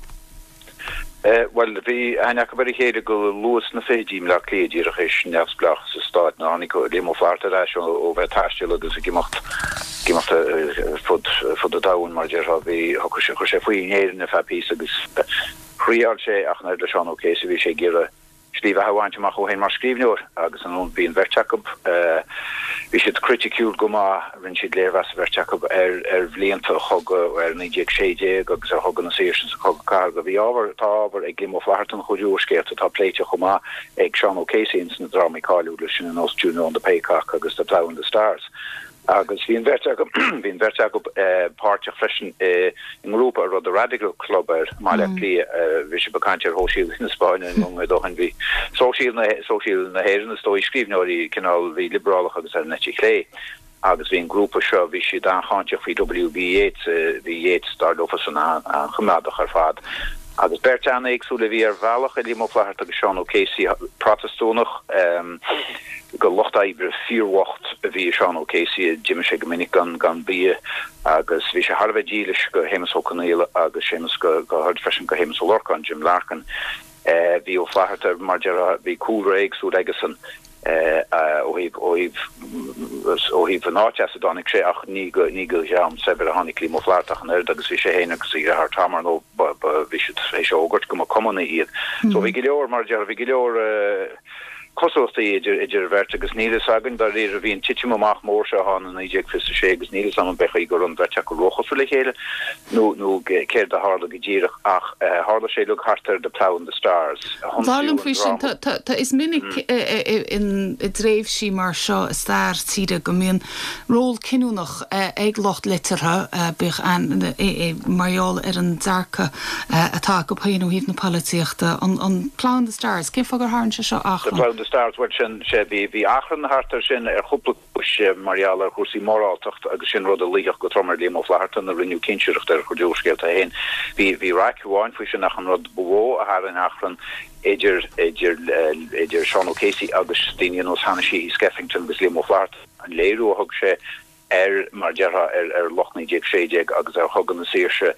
Bhuel, bhí aithne acu ar a chéile go luath sna fichidí i mBleá Cliath, díreach théis neamhspleáchas an stáit, nuair a tháinig Liam Ó Flaithearta ar ais ó bheith ag taisteal agus ag imeacht, ag imeacht ar fud, fud an domhain, mar a déarfá. Bhí, chuir sé, chuir sé faoi in Éirinn ar feadh píosa agus thriáil sé ach an oiread le Seán O'Casey, bhí sé ag iarraidh slí bheatha a bhaint amach dhó féin mar scríbhneoir agus an bhí an bheirt acu, bhí siad criticiúil go maith, rinne siad léirmheas an bheirt acu ar ar bhlianta an chogaidh, ar 1916 agus ar Chogadh na Saoirse agus an Cogadh Cathartha. Bhí ábhar, tá ábhar ag Liam Ó Flaithearta ina chuid úrscéalta atá pléite chomh maith ag Seán O'Casey ins na drámaí cáiliúla sin ar nós Juno and the Paycock agus The Plough and the Stars. Agus bhí an bheirt acu, bhí an bheirt acu páirteach freisin i ngrúpa a raibh The Radical Club air i mBaile Átha Cliath. Bhí sibh ag caint ar shóisialaigh na Spáinne nóiméad ó shin. Bhí sóisialaigh na, sóisialaigh na hÉireann is dóigh, scríbhneoirí cineál, bhí liobrálach agus ar an eite chlé. Agus bhí an grúpa seo, bhí siad an-cháinteach faoi W.B. Yeats, bhí Yeats, dar leofasan, an-choimeádach ar fad. Agus beirt an-éagsúil a bhí ar bhealach i Liam Ó Flaithearta agus Seán O'Casey, Protastúnach, go lucht oibre fíorbhocht a bhí i Seán O'Casey, d'imigh sé go minic gan gan bia agus bhí sé thar a bheith dílis go Shéamus Ó Conghaile agus Séamus go go háirid freisin go Shéamus Ó Lorcáin, Jim Larkin. Bhí Ó Flaithearta mar déarfá bhí cúlra éagsúil aigesan ó thaobh ó thaobh ó thaobh an áit as a dtáinig sé ach ní go ní go dhream saibhir a tháinig Liam Ó Flaithearta ach an oiread agus bhí sé féin agus a dheartháir Tom ar ndóigh ba ba bhí siad théis a fhógairt go mba cumannaigh iad. So bhí go leor mar a déarfá bhí go leor cosúlachtaí idir idir an bheirt agus níl fhios againn dáiríre, bhí an titim amach mór seo ann i 1926 agus níl fhios agam an b'é chaoi go raibh an bheirt acu róchosúil le chéile nó nó céard a tharla go díreach ach tharla sé uilig thart ar The Plough and the Stars, Dar liom faoi sin, tá tá tá is minic in i dtréimhsí mar seo i stair tíre go mbíonn ról cinniúnach ag lucht liteartha, bíodh mar gheall ar an dearcadh atá acu féin ó thaobh na polaitíochta. An Plough and the Stars, cén fáth gur tharraing sé seo The achrann? Plough and the Stars, bhuel sin, sea, bhí, bhí achrann thart air sin ar chúpla cúis, mar gheall ar chúrsaí moráltacht agus sin rud a luífeadh go trom ar Liam Ó Flaithearta nuair a rinneadh cinsireacht ar a chuid úrscéalta féin. Bhí, bhí raic amháin faoi sin ach an rud ba mhó a tharraing achrann idir, idir, idir Seán O'Casey agus daoine ar nós Hanna Sheehy Skeffington agus Liam Ó Flaithearta, An léiriú a thug sé ar, mar a déarfá, ar ar lucht 1916 agus ar Chogadh na Saoirse,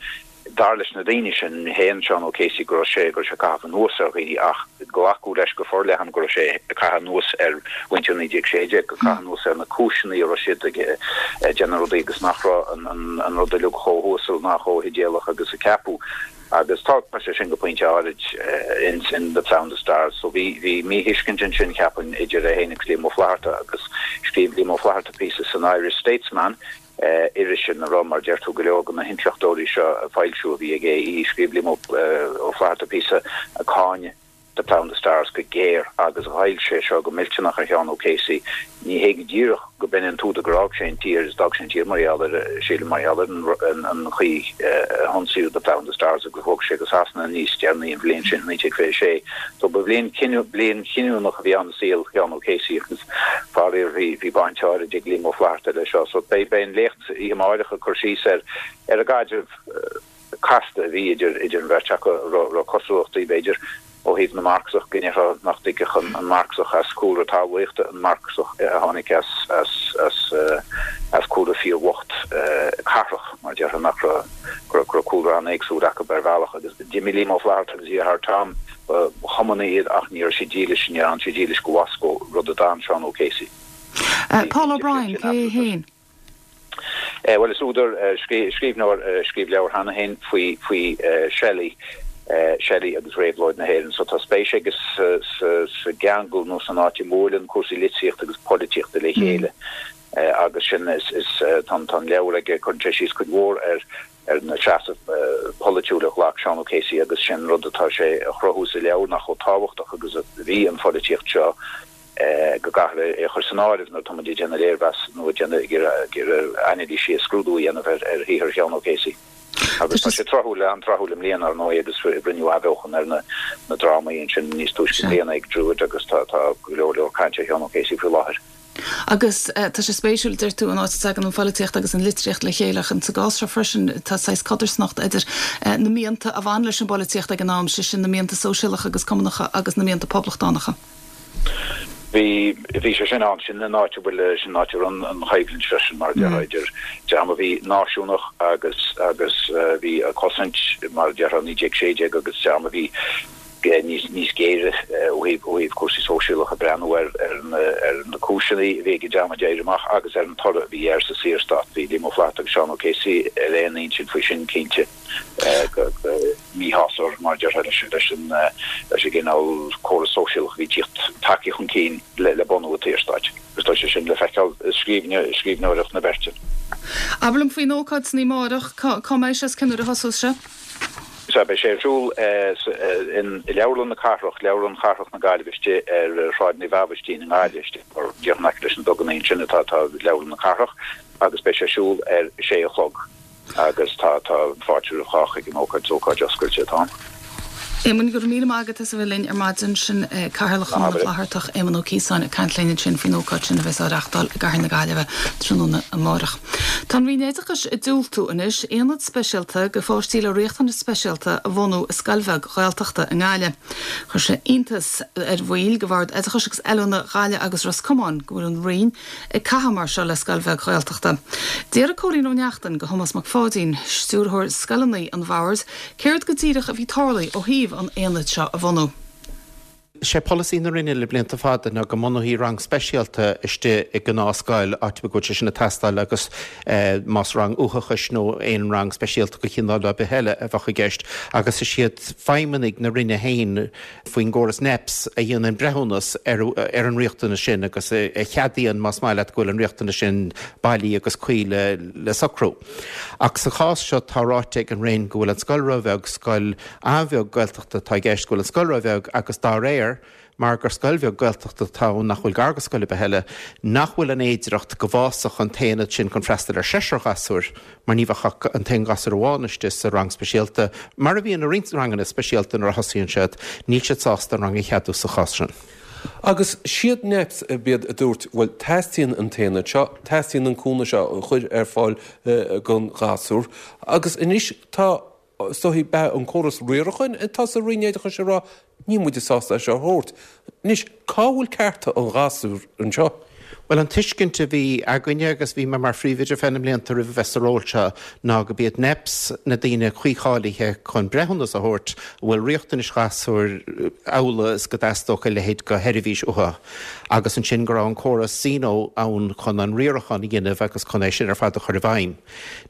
dar leis na daoine sin, shéan Seán O'Casey go raibh sé go raibh sé ag caitheamh anuas ar dhaoine ach glacadh leis go forleathan go raibh sé ag caitheamh anuas ar mhuintir 1916, ag caitheamh anuas ar na cúiseanna a raibh siad ag déanamh rudaí agus nach raibh an an rud uilig chomh huasal ná chomh hidéalach agus a ceapadh. Agus tá sé sin go pointe áirid in in The Plough and the Stars. So bhí bhí míthuiscint ansin, cheapfainn, idir é féin agus Liam Ó Flaithearta agus scríobh Liam Ó Flaithearta píosa san Irish Statesman, iris ina raibh, mar a deir tú, go leor de na hintleachtóirí seo ag foilsiú a bhí ag AE. Scríobh Liam Ó Flaithearta píosa ag cáineadh The Plough and the Stars go géar agus ghoill sé seo go millteanach ar Sheán O'Casey. Ní hé go díreach go b'in an t-údar gur fhág sé an tír, is d'fhág sé an tír mar gheall ar, sílim, mar gheall ar an chaoi a hionsaíodh The Plough and the Stars agus bhog sé go Sasana níos deireanaí an bhliain sin, 1926. So ba bhliain bliain chinniúnach a bhí ann i saol Sheán O'Casey agus faraor bhí bhí baint áirid ag Liam Ó Flaithearta leis seo. So beidh beidh an léacht oíche amáireach ag cur síos ar ar an gcaidreamh casta a bhí idir idir an bheirt acu, a raibh cosúlachtaí, b'fhéidir, ó thaobh na Marxach, go ndéarfá nach dtuigfeadh an Marxach as cúlra talmhaíochta an Marxach a tháinig as as as as cúlra fíorbhocht cathrach, mar a déarfá, nach raibh go raibh go raibh cúlra an-éagsúil acu ar bhealach. Agus d'imigh Liam Ó Flaithearta agus a dheartháir Tom, ba Chumannaigh iad ach ní raibh siad dílis, níor fhan siad dílis go Mhoscó, rud a d'fhan Seán O'Casey. Paul O'Brien, cé hé féin? Bhuel, is údar, scríbhneoir a scríobh leabhar cheana féin faoi, faoi Shelley, Shelley agus Réabhlóid na hÉireann. So tá spéis aige sa, sa, sa gceangal nó san áit a mbuaileann cúrsaí litríochta agus polaitíochta le chéile. Agus sin, is, is, tá an, tá an leabhar aige, cuireann sé síos cuid mhór ar, ar na seasamh polaitiúil a ghlac Seán O'Casey agus sin rud atá sé a chruthú sa leabhar nach chomh tábhachtach agus a bhí an pholaitíocht seo go gcaithfear é a chur san áireamh nuair atá muid ag déanamh léirmheas nó ag déanamh ag iarraidh anailísí is scrúdú a dhéanamh ar shaothar Sheáin O'Casey. Agus tá sé tráthúil, an-tráthúil i mbliana, ar ndóigh, agus rinneadh athbheochan ar na drámaí ansin níos túisce i mbliana ag Druid agus tá go leor leor cainte ar Sheán O'Casey faoi láthair. Agus tá sé spéisiúil, deir tú, an áit a dtagann an phoilitíocht agus an litríocht le chéile ach insa gcás seo freisin tá saghas codarsnacht idir na mianta a bhain leis an bpolaitíocht ag an am, sé sin na mianta sóisialacha agus cumannacha agus na mianta poblachtánacha. Bhí, bhí sé sin ann, sin an áit a bhfuil, sin an áit a raibh an choimhlint freisin mar a déarfá idir dream a bhí náisiúnach agus, agus a bhí ag cosaint mar a déarfá 1916 agus dream a bhí níos, níos géire ó thaobh, ó thaobh cúrsaí sóisialacha ag breathnú ar, ar na, ar na cúiseanna a bhí ag an dream a d'éirigh amach agus ar an toradh a bhí air sa Saorstát. Bhí Liam Ó Flaithearta agus Seán O'Casey ar aon intinn faoi sin cinnte. míshásamh mar a déarfá leis an leis an gcineál córas sóisialach a bhí tíocht tagtha chun cinn le bunú an tSaorstáit agus tá sé sin le feiceáil i scríbhneoireacht na beirte. Abair liom faoin ócáid san oíche amárach, cá mbeidh sé is cén uair a thosós sé? Sea, beidh sé ar siúl i Leabharlann na Cathrach, Leabharlann Chathrach na Gaillimhe istigh ar Shráid Naomh Aibhistín i nGaillimh, istigh díreach in aice leis na duganna ansin atá Leabharlann na Cathrach agus beidh sé ar siúl ar sé a chlog. Agus tá, tá fáilte roimh chách ag an ócáid, is ócáid oscailte atá ann. Éamonn, go raibh míle maith agat as a bheith linn ar maidin. Sin Cathaoirleach Chumann na bhFlaitheartach, Éamonn Ó Ciosáin, ag caint linn ansin faoin ócáid sin a bheas á reachtáil i gCathair na Gaillimhe tráthnóna amárach. Tá an Roinn Oideachais ag diúltú anois aonad speisialta do pháistí le riachtanais speisialta a bhunú i scoil bheag Ghaeltachta i nGaillimh. Chuir sé iontas ar bhaill de Bhord Oideachais agus Oiliúna Ghaillimh agus Ros Comáin go bhfuil an Roinn ag caitheamh mar seo le scoil bheag Ghaeltachta. D'fhiafraigh Cóilín Ó Neachtain de Thomás Mac Pháidín, Stiúrthóir Scoileanna an Bhoird, céard go díreach a bhí tarlaithe ó thaobh an aonaid seo a bhunú. Sé polasaí na Roinne le blianta fada ná go mbunófaí rang speisialta istigh i ngnáthscoil, áit ar bith go bhfuil sé sin ag teastáil agus más rang uathachais nó aon rang speisialta de chineál ar bith eile a bheadh i gceist agus is iad feidhmeannaigh na Roinne féin faoin gcóras NEPS a dhéanann breithiúnas ar an riachtanas sin agus a cheadaíonn, más maith leat, go bhfuil an riachtanas sin bailí agus cuí le socrú. Ach sa chás seo tá ráite ag an Roinn go bhfuil an scoil róbheag, scoil an-bheag Gaeltachta atá i gceist, go bhfuil an scoil róbheag agus dá réir, mar gur scoil bheag Gaeltachta atá ann nach bhfuil gar go scoil ar bith eile, nach bhfuil an fhéidireacht go bhfásfadh an t-aonad sin chun freastal ar sheisear ghasúr. mar ní bheadh ach an t-aon ghasúr amháin istigh sa rang speisialta, mar a bhíonn i roinnt ranganna speisialta nuair a thosaíonn siad, níl siad sásta an rang a cheadú sa chás sin. Agus siad NEPS a b'iad a dúirt, bhuel, teastaíonn an t-aonad seo, teastaíonn an cúnamh seo a chur ar fáil don ghasúr, agus anois tá, is dóichí, b'ea an córas riaracháin atá sa Roinn Oideachais ag rá, níl muide sásta é seo a thabhairt. Anois, cá bhfuil cearta an ghasúir anseo? Bhuel, an tuiscint a bhí againne, agus bhí mé mar phríomhoide ar feadh na mblianta roimh a bheith sa ról seo, ná go b'iad NEPS na daoine cuí-cháilithe chun breithiúnas a thabhairt an bhfuil riachtanais ghasúir amhlaidh is go dteastódh a leithéid de sheirbhís uathu, agus ansin go raibh an córas Zeno ann chun an riarachán a dhéanamh agus chun é sin ar fad a chur i bhfeidhm.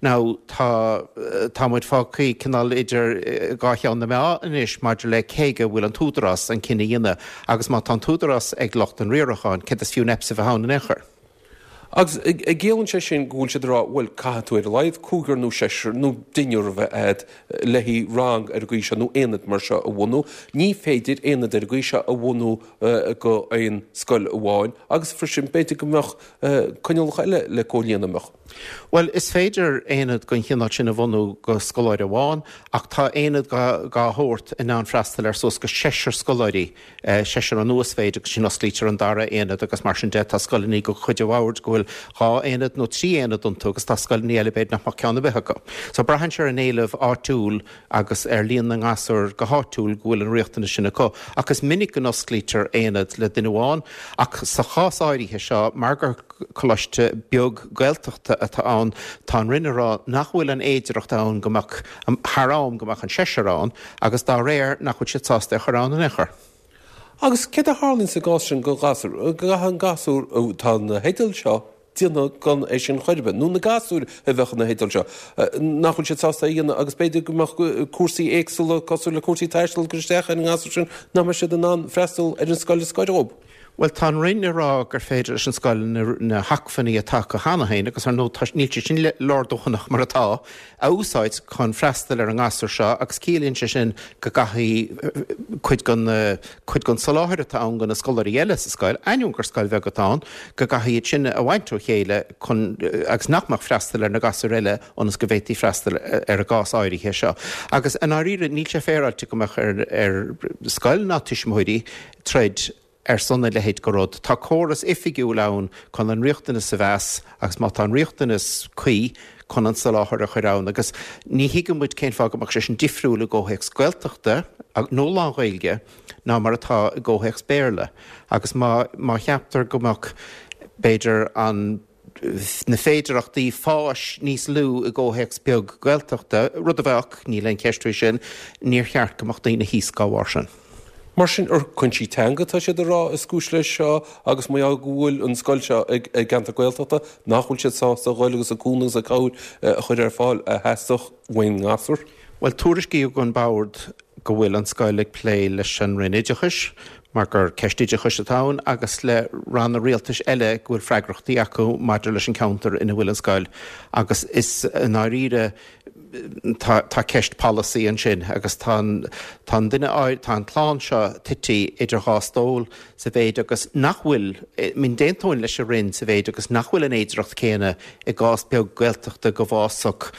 Now, tá, tá muid fágtha cineál idir dhá cheann na meá anois maidir le cé aige a bhfuil an t-údarás an cinneadh a dhéanamh agus má tá an t-údarás ag lucht an riaracháin, céard is fiú NEPS a bheith ann in aon chor? Agus an gciallaíonn sé sin go bhfuil siad ag rá, bhuel, caithfidh tú ar a laghad cúigear nó seisear nó deichniúr a bheith agat le haghaidh rang ar an gcaoi seo nó aonad mar seo a bhunú. Ní féidir aonad ar an gcaoi seo a bhunú go aon scoil amháin agus freisin b'fhéidir go mbeadh coinníollacha eile le comhlíonadh, an mbeadh? Bhuel, is féidir aonad den chineál sin a bhunú go scoláire amháin, ach tá aonad dá shórt in ann freastal ar suas go seisear scoláirí, seisear an uasmhéid, agus ansin osclaítear an dara aonad agus mar sin de. Tá scoileanna de chuid an bhoird go bhfuil dhá aonad nó trí aonad iontu agus tá scoileanna eile b'fhéidir nach mbeadh ceann ar bith acu. So braitheann sé ar an éileamh áitiúil agus ar líon na ngasúr go háitiúil go bhfuil an riachtanas sin acu. Ach is minic go n-osclaítear aonad le duine amháin ach sa chás áirithe seo, mar gur coláiste beag Gaeltachta atá ann, tá an Roinn ag rá nach bhfuil an fhéidireacht ann go mbeadh, thar am, go mbeadh an seisear ann agus dá réir nach bhfuil siad sásta é a chur ann in aon chor. Agus céard a tharlaíonn sa gcás sin don ghasúr? An gcaithfidh an gasúr, tá na theidil seo déanamh gan é sin chor ar bith, nó na gasúir a bheadh ina theideal seo, nach bhfuil siad sásta é a dhéanamh agus b'fhéidir go mbeadh cúrsaí éagsúla cosúil le cúrsaí taistil ag cur isteach ar an ngasúr sin nach mbeadh siad in ann freastal ar an scoil is gaire dhóibh. Bhuel, tá an Roinn ag rá gur féidir leis an scoil na hacmhainní atá acu cheana féin, agus ar ndóigh tá, níl siad sin leordhóthanach mar atá, a úsáid chun freastal ar an ngasúr seo agus ciallaíonn sé sin go gcaithfidh cuid den, cuid den soláthar atá ann do na scoláirí eile sa scoil, ainneoin gur scoil bheag atá ann, go gcaithfidh iad sin a bhaint ó chéile chun, agus nach mbeadh freastal ar na gasúir eile ionas go bhféadfaí freastal ar an gcás áirithe seo. Agus i ndáiríre níl sé féaráilte go mbeadh ar, ar scoil ná tuismitheoirí troid. ar son a leithéid de rud. Tá córas oifigiúil ann chun an riachtanas a mheas agus má tá an riachtanas cuí chun an soláthar a chur ann agus ní thuigeann muid cén fáth go mbeadh sé sin difriúil i gcomhthéacs Gaeltachta nó lán-Ghaeilge ná mar atá i gcomhthéacs Béarla agus má má cheaptar go mbeadh b'fhéidir an na féidearthachtaí fáis níos lú i gcomhthéacs beag Gaeltachta, rud a bheadh, níl aon cheist faoi sin, níor cheart go mbeadh daoine thíos dá bharr sin. Mar sin, ar cúinsí teanga atá siad a rá is cúis leis seo agus mar gheall go bhfuil an scoil seo i gceantar Gaeltachta, nach bhfuil siad sásta a dhul agus an cúnamh agus an cabhair a chur ar fáil a theastódh ón ngasúr? Bhuel, tuairiscíodh don Bhord go bhfuil an scoil ag plé leis an Roinn Oideachais, mar gur ceist oideachais atá ann, agus le ranna rialtais eile go bhfuil freagrachtaí acu maidir leis an cheantar ina bhfuil an scoil. Agus is i ndáiríre, tá, tá ceist polasaí ansin agus tá an, tá an duine, tá an clann seo tite idir dhá stól sa mhéid agus nach bhfuil, I mean, d'aontóinn leis an Roinn sa mhéid agus nach bhfuil an fhéidearthacht chéanna i gcás beag Gaeltachta go bhfásfadh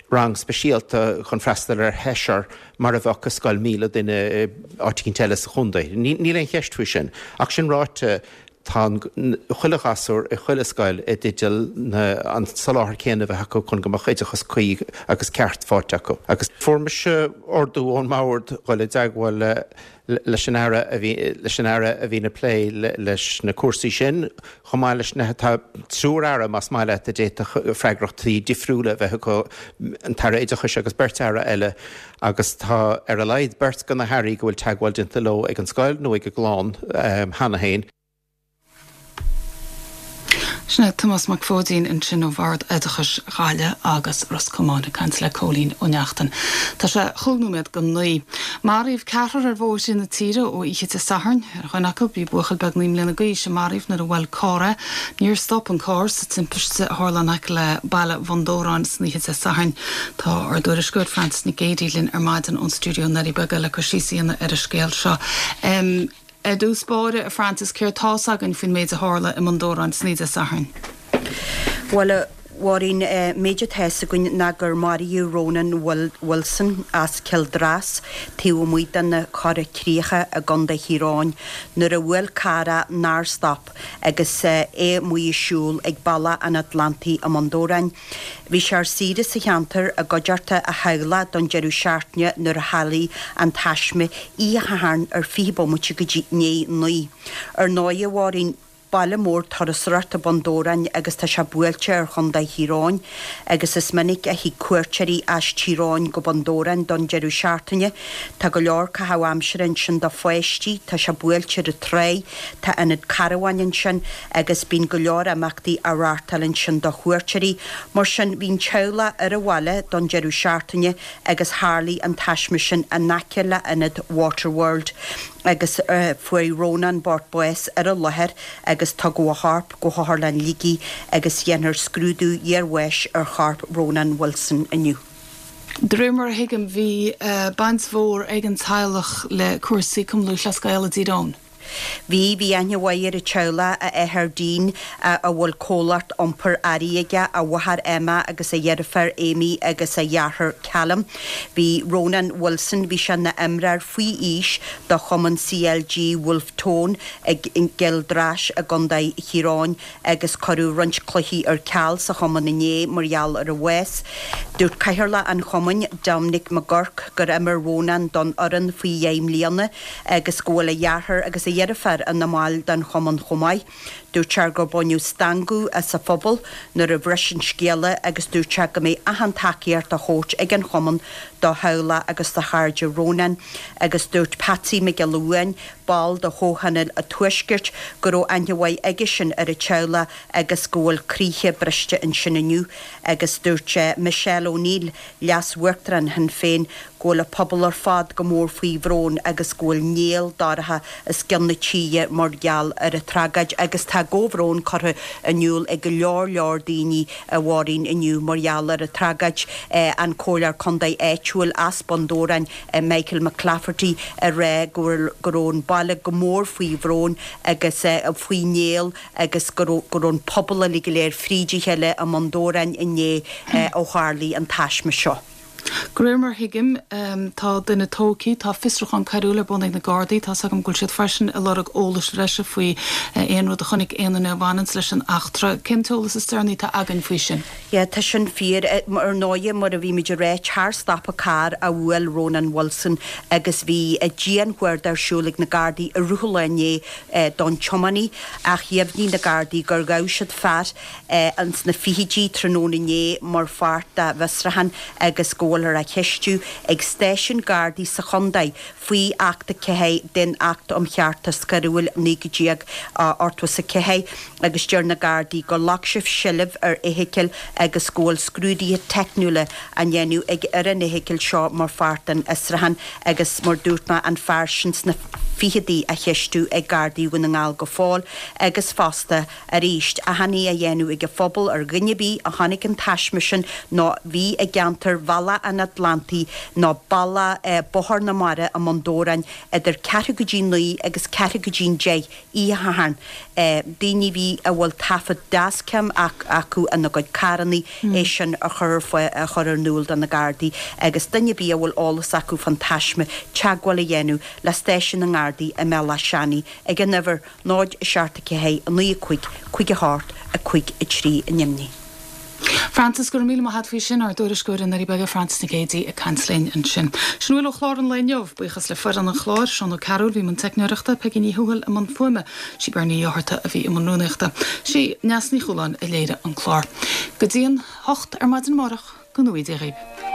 rang speisialta chun freastal ar sheisear mar a bheadh i scoil 1,000 duine áit eicínt eile sa chontae. Níl aon cheist faoi sin. Ach sin ráite, tá chuile ghasúr i chuile scoil i dteideal an soláthar céanna a bheith acu chun go mbeadh oideachas cuí agus ceart faighte acu. Agus fuair mise ordú ón mbord dhul i dteagmháil le leis an Aire a bhí leis an Aire a bhíonn ag plé leis na cúrsaí sin, chomh maith leis na tá triúr Aire, más maith leat, a d'fhéadfadh freagrachtaí difriúla a bheith acu, an tAire Oideachais agus beirt Aire eile, agus tá ar a laghad beirt de na hAirí go bhfuil teagmháil déanta leo ag an scoil nó ag an gclann cheana féin. Sin é Tomás Mac Pháidín ansin ó Bhord Oideachais Ghaillimh agus Ros Comáin ag caint le Cóilín Ó Neachtain. Tá sé chúig nóiméad go naoi. Maraíodh ceathrar ar bhóithre na tíre ó oíche Dé Sathairn. Ar dhuine acu bhí buachaill beag 9 mbliana d'aois a maraíodh nuair a bhuail carr é. Níor stop an carr sa timpiste a tharla in aice le baile Bhun Dobhráin san oíche Dé Sathairn. Tá ár dtuairisceoir Frances Nic Géadaigh linn ar maidin ón stiúideo i nDoirí Beaga le cur síos a dhéanamh ar an scéal seo. Ar dtús báire, a Frances, céard tá's againn faoin méid a tharla i mBun Dobhráin san oíche Dé Sathairn? Bhuel, a Mháirín, méid atá fhios againn ná gur maraíodh Ronan Wilson as Cill Dras, taobh amuigh de na Cora Críocha i gContae Thír Eoghain, nuair a bhuail carr é nár stop agus é amuigh ag siúl ag Bealach an Atlantaigh i mBun Dobhráin. Bhí sé ar saoire sa cheantar i gcuideachta a theaghlaigh don deireadh seachtaine nuair a tharlaigh an taisme oíche Shathairn ar 20 bomaite go dtí 9. Ar ndóigh, a Mháirín, baile mór turasóireachta Bun Dobhráin agus tá sé buailte ar Chontae Thír Eoghain agus is minic a thig cuairteoirí as Tír Eoghain go Bun Dobhráin don deireadh seachtaine. Tá go leor caitheamh aimsire ansin do pháistí, tá sé buailte ar an tráigh, tá ionad carabháin ansin agus bíonn go leor imeachtaí á reáchtáil ansin do chuairteoirí. Mar sin, bhí an teaghlach ar an bhaile don deireadh seachtaine agus tharlaigh an taisme sin in aice le ionad Waterworld agus fuair Rónán bocht bás ar an láthair agus tugadh a chorp go hOtharlann Shligigh agus dhéanfar scrúdú iarbháis ar chorp Rónán Wilson inniu. De réir mar a thuigim, bhí baint mhór ag an teaghlach le cúrsaí Cumann Lúthchleas Gael i dTír Eoghain. Bhí, bhí aithne mhaith ar an teaghlach, a athair Dean, a bhfuil comhlacht iompair earraí aige, a mháthair Emma agus a dheirfiúr Amy agus a dheartháir Callum. Bhí Rónán Wilson, bhí sé ina imreoir faoi aois do chumann CLG Wolfe Tone i gCill Drais i gContae Thír Eoghain agus cuireadh roinnt cluichí ar ceal sa chumann inné mar gheall ar a bhás. Dúirt Cathaoirleach an chumainn, Dominic McGurk, gur imir Rónán don fhoireann faoi dheich mbliana agus go bhfuil a dheartháir agus a dheirfiúr ina mbaill den chumann chomh maith. Dúirt sé gur baineadh stangadh as an phobal nuair a bhris an scéala agus dúirt sé go mbeidh achan tacaíocht á thabhairt ag an chumann do theaghlach agus do chairde Rónáin agus dúirt Patsy Mac Giolla Uain, ball de Chomhthionól an Tuaiscirt, go raibh aithne mhaith aigesean ar an teaghlach agus go bhfuil croíthe briste ansin inniu agus dúirt Michelle O'Neill, Leas-Uachtarán Shinn Féin, go bhfuil an pobal ar fad go mór faoi bhrón agus go bhfuil néal dorcha os cionn na tíre mar gheall ar an tragóid agus tá comhbhrón curtha in iúl ag go leor leor daoine a Mháirín inniu mar gheall ar an tragóid. An Comhairleoir Contae áitiúil as Bun Dobhráin, Michael McClafferty ag rá go raibh an baile go mór faoi bhrón agus faoi néal agus go raibh an pobal uilig go léir fríd a chéile i mBun Dobhráin inné ó tharlaigh an taisme seo. De réir mar a thuigim, tá duine tógtha, tá fiosrúchán coiriúil ar bun ag na Gardaí, tá's agam go bhfuil siad freisin ag lorg eolais bhreise faoi aon rud a chonaic aon duine a bhaineanns leis an eachtra. Cén t-eolas is deireanaí atá againn faoi sin? Yeah, tá sin fíor. Ar ndóighe, mar a bhí muid ag ráit, charr-stopadh carr a bhuail Rónán Wilson agus bhí dian-chuardach ar siúl ag na Gardaí i rith an lae inné don tiománaí ach dheimhnigh na Gardaí gur ghabh siad fear ins na fichidí tráthnóna inné mar pháirt dá bhfiosrúchán agus go bhfuilthear á cheistiú ag stáisiún Gardaí sa chontae faoi Acht 4 den Acht um Cheartas Coiriúil 1984 agus deir na Gardaí gur ghlac siad seilbh ar fheithicil agus go bhfuil scrúduithe teicniúla á ndéanamh ag ar an fheithicil seo mar pháirt den fhiosrúchán agus mar dúirt mé an fear sin sna fichidí á cheistiú ag Gardaí Dhún na nGall go fóill agus fosta Arís, achainí á dhéanamh ag an phobal ar dhuine ar bith a chonaic an taisme sin nó bhí i gceantar Bhealach an Atlantaigh nó bealach Bóthar na Mara i mBun Dobhráin idir ceathrú go dtí 9 agus ceathrú go dtí 10 oíche Shathairn. Daoine a bhí a bhfuil taifead dashcam acu ina gcuid carrannaí é sin a chur ar fáil a chur in iúl do na Gardaí agus duine ar bith a bhfuil eolas acu fán taisme teagmháil a dhéanamh le stáisiún na nGardaí i mBealach Seanaidh ag an uimhir 0 7 4 9 5 5 8 5 3 i nDoimní. Frances, Go raibh míle maith a't faoi sin, ár dtuairisceoir i nDoirí Beaga, Frances Nic Géadaigh ag caint linn ansin. Sin a bhfuil ó chlár an lae inniu. Buíochas le foireann an chláir, Seán Ó Cearúil a bhí i mbun teicneoireachta, Peigí Ní Thuathail i mbun fuaime, sí Bernie Uí Fhátharta a bhí i mbun rúnaíochta. Sí Neasa Ní Chualáin a léirigh an clár. Go dtí an hocht ar maidin amárach, go ngnóthaí Dia dhaoibh.